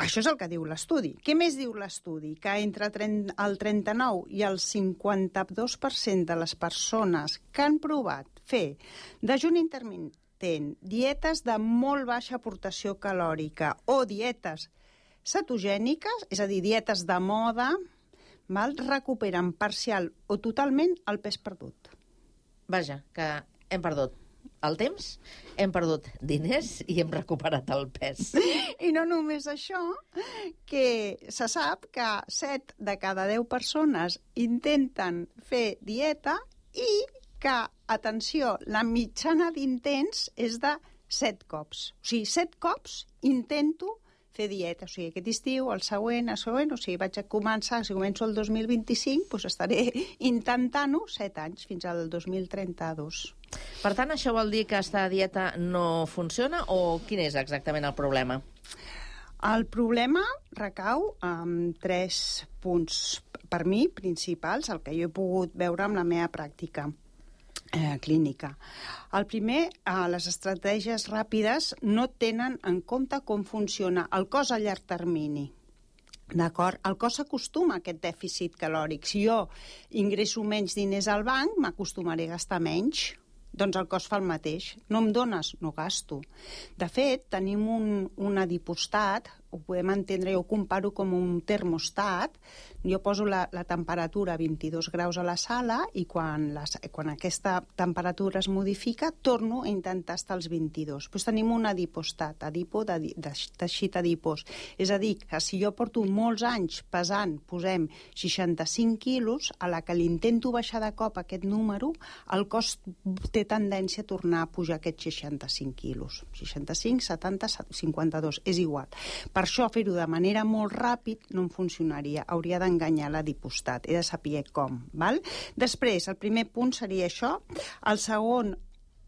Això és el que diu l'estudi. Què més diu l'estudi? Que entre el 39 i el 52% de les persones que han provat fer dejuni intermitent, dietes de molt baixa aportació calòrica o dietes cetogèniques, és a dir, dietes de moda, recuperen parcial o totalment el pes perdut. Vaja, que hem perdut el temps, hem perdut diners i hem recuperat el pes. I no només això, que se sap que 7 de cada 10 persones intenten fer dieta i que, atenció, la mitjana d'intents és de 7 cops. O sigui, 7 cops intento fer dieta. O sigui, aquest estiu, el següent, o sigui, vaig a començar, si començo el 2025, doncs estaré intentant-ho 7 anys, fins al 2032. Per tant, això vol dir que aquesta dieta no funciona o quin és exactament el problema? El problema recau en 3 punts, per mi, principals, el que jo he pogut veure amb la meva pràctica clínica. El primer, les estratègies ràpides no tenen en compte com funciona el cos a llarg termini. D'acord? El cos s'acostuma a aquest dèficit calòric. Si jo ingresso menys diners al banc, m'acostumaré a gastar menys. Doncs el cos fa el mateix. No em dones, no gasto. De fet, tenim un adipostat, ho podem entendre, jo ho comparo com un termostat. Jo poso la temperatura a 22 graus a la sala i quan aquesta temperatura es modifica, torno a intentar estar als 22. Doncs tenim un adipostat, de teixit adipós. És a dir, que si jo porto molts anys pesant, posem 65 quilos, a la que l'intento baixar de cop aquest número, el cos té tendència a tornar a pujar aquests 65 quilos. 65, 70, 52, és igual. Per això, fer-ho de manera molt ràpid no em funcionaria. Hauria d'enganyar l'adipostat. He de saber com. Val? Després, el primer punt seria això. El segon,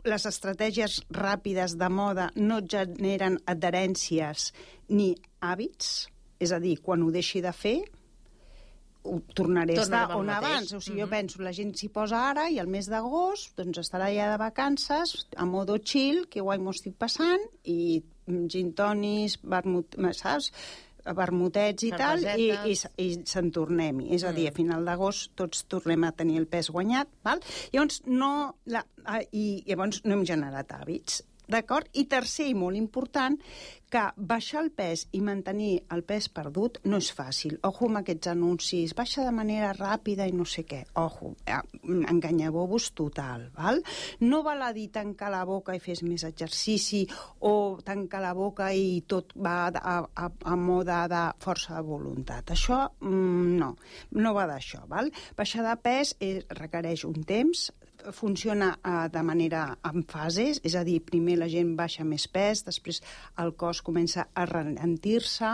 les estratègies ràpides de moda no generen adherències ni hàbits. És a dir, quan ho deixi de fer, ho tornaré a estar on abans. O sigui, jo penso, la gent s'hi posa ara i al mes d'agost doncs estarà ja de vacances, a modo chill, que guai m'ho estic passant, i gin tonis, saps? Vermutets i tal, i se'n tornem-hi. És a dir, a final d'agost tots tornem a tenir el pes guanyat. Val? Llavors, no hem generat hàbits. D'acord? I tercer, i molt important, que baixar el pes i mantenir el pes perdut no és fàcil. Ojo amb aquests anuncis, baixa de manera ràpida i no sé què. Ojo, enganyabobos total, val? No val a dir tancar la boca i fes més exercici o tancar la boca i tot va a moda de força de voluntat. Això no va d'això, val? Baixar de pes requereix un temps, funciona de manera en fases, és a dir, primer la gent baixa més pes, després el cos comença a ralentir-se,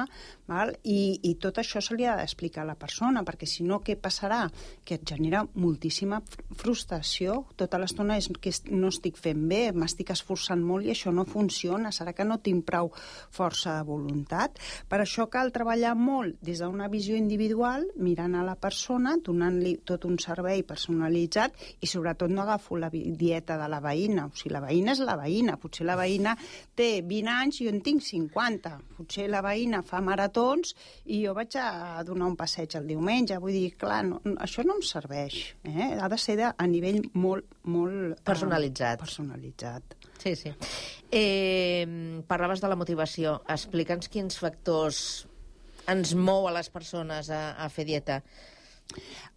i tot això se li ha d'explicar a la persona, perquè si no, què passarà? Que et genera moltíssima frustració. Tota l'estona és que no estic fent bé, m'estic esforçant molt i això no funciona, serà que no tinc prou força de voluntat? Per això cal treballar molt des d'una visió individual, mirant a la persona, donant-li tot un servei personalitzat i sobretot no agafo la dieta de la veïna. O sigui, la veïna és la veïna. Potser la veïna té 20 anys i jo en tinc 50. Potser la veïna fa maratons i jo vaig a donar un passeig el diumenge. Vull dir, clar, això no em serveix. Ha de ser a nivell molt personalitzat. Sí, sí. Parlaves de la motivació. Explica'ns quins factors ens mou a les persones a fer dieta.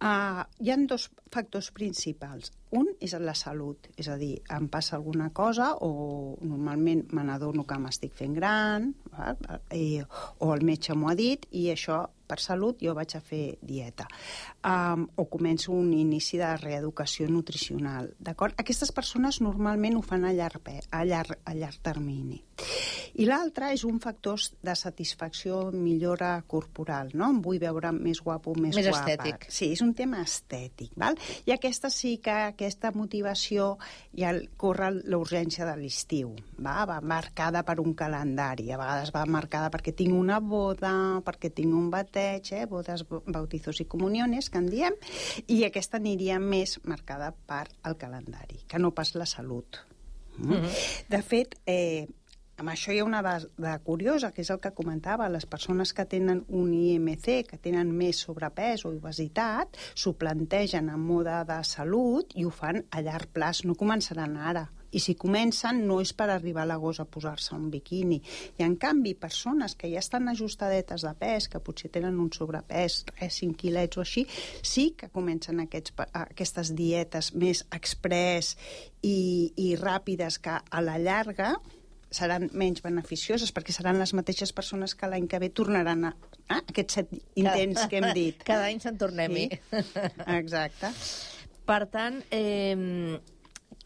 Hi ha dos factors principals. Un és la salut, és a dir, em passa alguna cosa o normalment me n'adono que m'estic fent gran, o el metge m'ho ha dit i això per salut jo vaig a fer dieta. O començo un inici de reeducació nutricional. D'acord? Aquestes persones normalment ho fan a llarg termini. I l'altre és un factor de satisfacció, millora corporal, no? Em vull veure més guapo, més guapa. Estètic. Sí, és un tema estètic, val? I aquesta sí que aquesta motivació ja corre l'urgència de l'estiu, va marcada per un calendari, a vegades va marcada perquè tinc una boda, perquè tinc un bateig, bodes, bautizos i comuniones, que en diem, i aquesta aniria més marcada per el calendari, que no pas la salut. De fet, amb això hi ha una dada curiosa, que és el que comentava, les persones que tenen un IMC, que tenen més sobrepès o obesitat, s'ho plantegen en mode de salut i ho fan a llarg plaç, no començaran ara. I si comencen no és per arribar a l'agost a posar-se un biquini. I en canvi, persones que ja estan ajustadetes de pes, que potser tenen un sobrepès, 5 quilets o així, sí que comencen aquestes dietes més express i ràpides que a la llarga seran menys beneficioses perquè seran les mateixes persones que l'any que ve tornaran a aquests 7 intents que hem dit. Cada any se'n tornem-hi. Sí. Exacte. Per tant,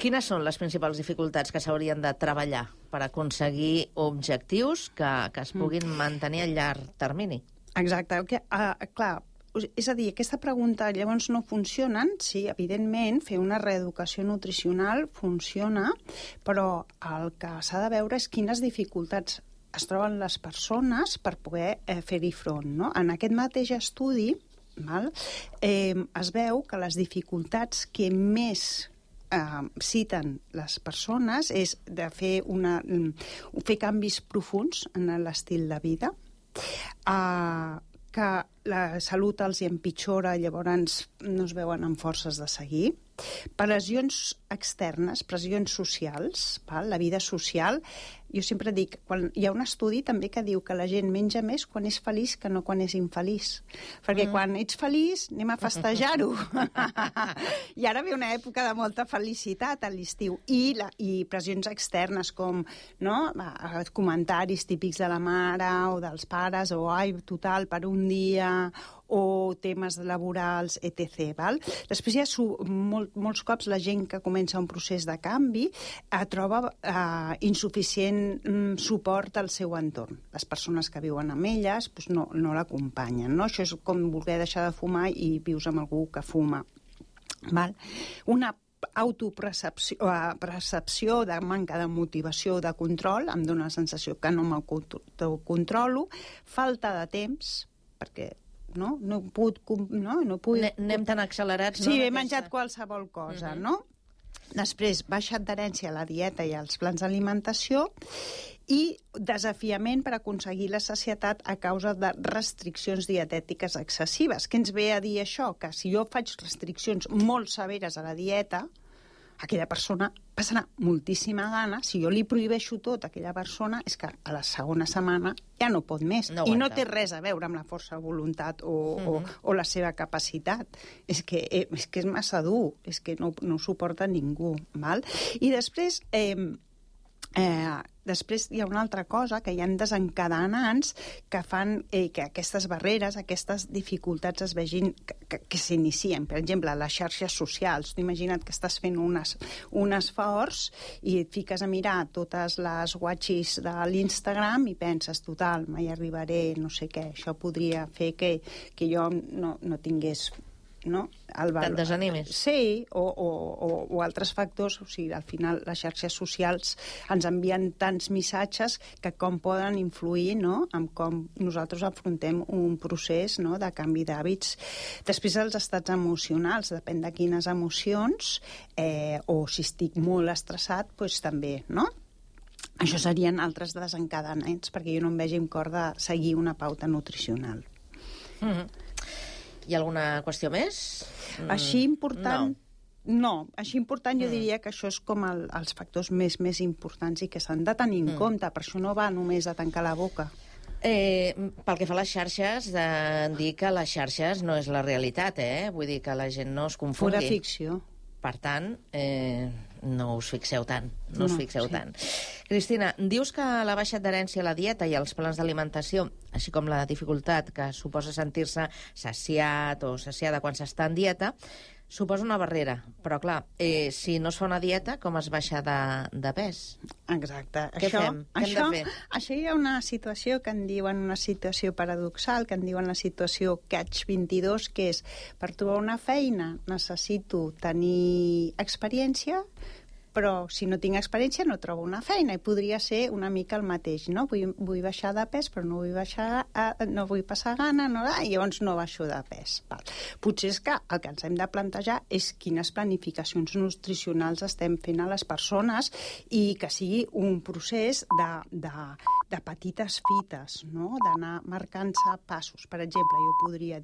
quines són les principals dificultats que s'haurien de treballar per aconseguir objectius que es puguin mantenir a llarg termini? Exacte. Clar, és a dir, aquesta pregunta llavors no funcionen, sí, evidentment, fer una reeducació nutricional funciona, però el que s'ha de veure és quines dificultats es troben les persones per poder fer-hi front, no? En aquest mateix estudi, es veu que les dificultats que més citen les persones és de fer canvis profunds en l'estil de vida, que la salut els hi empitjora, llavors no es veuen amb forces de seguir. Pressions externes, pressions socials, la vida social. Jo sempre dic, hi ha un estudi també que diu que la gent menja més quan és feliç que no quan és infeliç. Perquè quan ets feliç anem a festejar-ho. I ara ve una època de molta felicitat a l'estiu. I pressions externes com comentaris típics de la mare o dels pares, o ai, total, per un dia, o temes laborals, etc. Després ja molts cops la gent que comença un procés de canvi troba insuficient suport al seu entorn. Les persones que viuen amb elles no l'acompanyen. Això és com voler deixar de fumar i vius amb algú que fuma. Una autopercepció de manca de motivació, de control, em dóna la sensació que no m'autocontrolo, falta de temps, perquè no puc... Anem tan accelerats. Sí, he menjat qualsevol cosa, no? Després, baixa adherència a la dieta i als plans d'alimentació i desafiament per aconseguir la sacietat a causa de restriccions dietètiques excessives. Què ens ve a dir això? Que si jo faig restriccions molt severes a la dieta, aquella persona passarà moltíssima gana. Si jo li prohibeixo tot a aquella persona, és que a la segona setmana ja no pot més. I no té res a veure amb la força de voluntat o la seva capacitat. És que és massa dur, és que no ho suporta ningú. I després... Després hi ha una altra cosa, que hi ha desencadenants que fan que aquestes barreres, aquestes dificultats es vegin que s'inicien. Per exemple, les xarxes socials. Tu imagina't que estàs fent un esforç i et fiques a mirar totes les watches de l'Instagram i penses, total, mai arribaré, no sé què, això podria fer que jo no tingués... Que et desanimis. Sí, o altres factors. O sigui, al final les xarxes socials ens envien tants missatges que com poden influir en com nosaltres afrontem un procés de canvi d'hàbits. Després els estats emocionals, depèn de quines emocions, o si estic molt estressat, doncs també, no? Això serien altres desencadenants, perquè jo no em vegi amb cor de seguir una pauta nutricional. Hi ha alguna qüestió més? Així important... No, així important jo diria que això és com els factors més importants i que s'han de tenir en compte. Per això no va només a tancar la boca. Pel que fa a les xarxes, dir que les xarxes no és la realitat, Vull dir que la gent no es confongui. Pura ficció. Per tant, no us fixeu tant. No us fixeu tant. Cristina, dius que la baixa adherència a la dieta i als plans d'alimentació, així com la dificultat que suposa sentir-se saciat o saciada quan s'està en dieta, suposa una barrera. Però, clar, si no es fa una dieta, com es baixa de pes? Exacte. Què fem? Què hem de fer? Això hi ha una situació que en diuen una situació paradoxal, que en diuen la situació Catch-22, que és, per trobar una feina necessito tenir experiència, però si no tinc experiència no trobo una feina, i podria ser una mica el mateix, no? Vull baixar de pes, però no vull passar gana, i llavors no baixo de pes. Potser és que el que ens hem de plantejar és quines planificacions nutricionals estem fent a les persones i que sigui un procés de petites fites, no? D'anar marcant-se passos. Per exemple, jo podria dir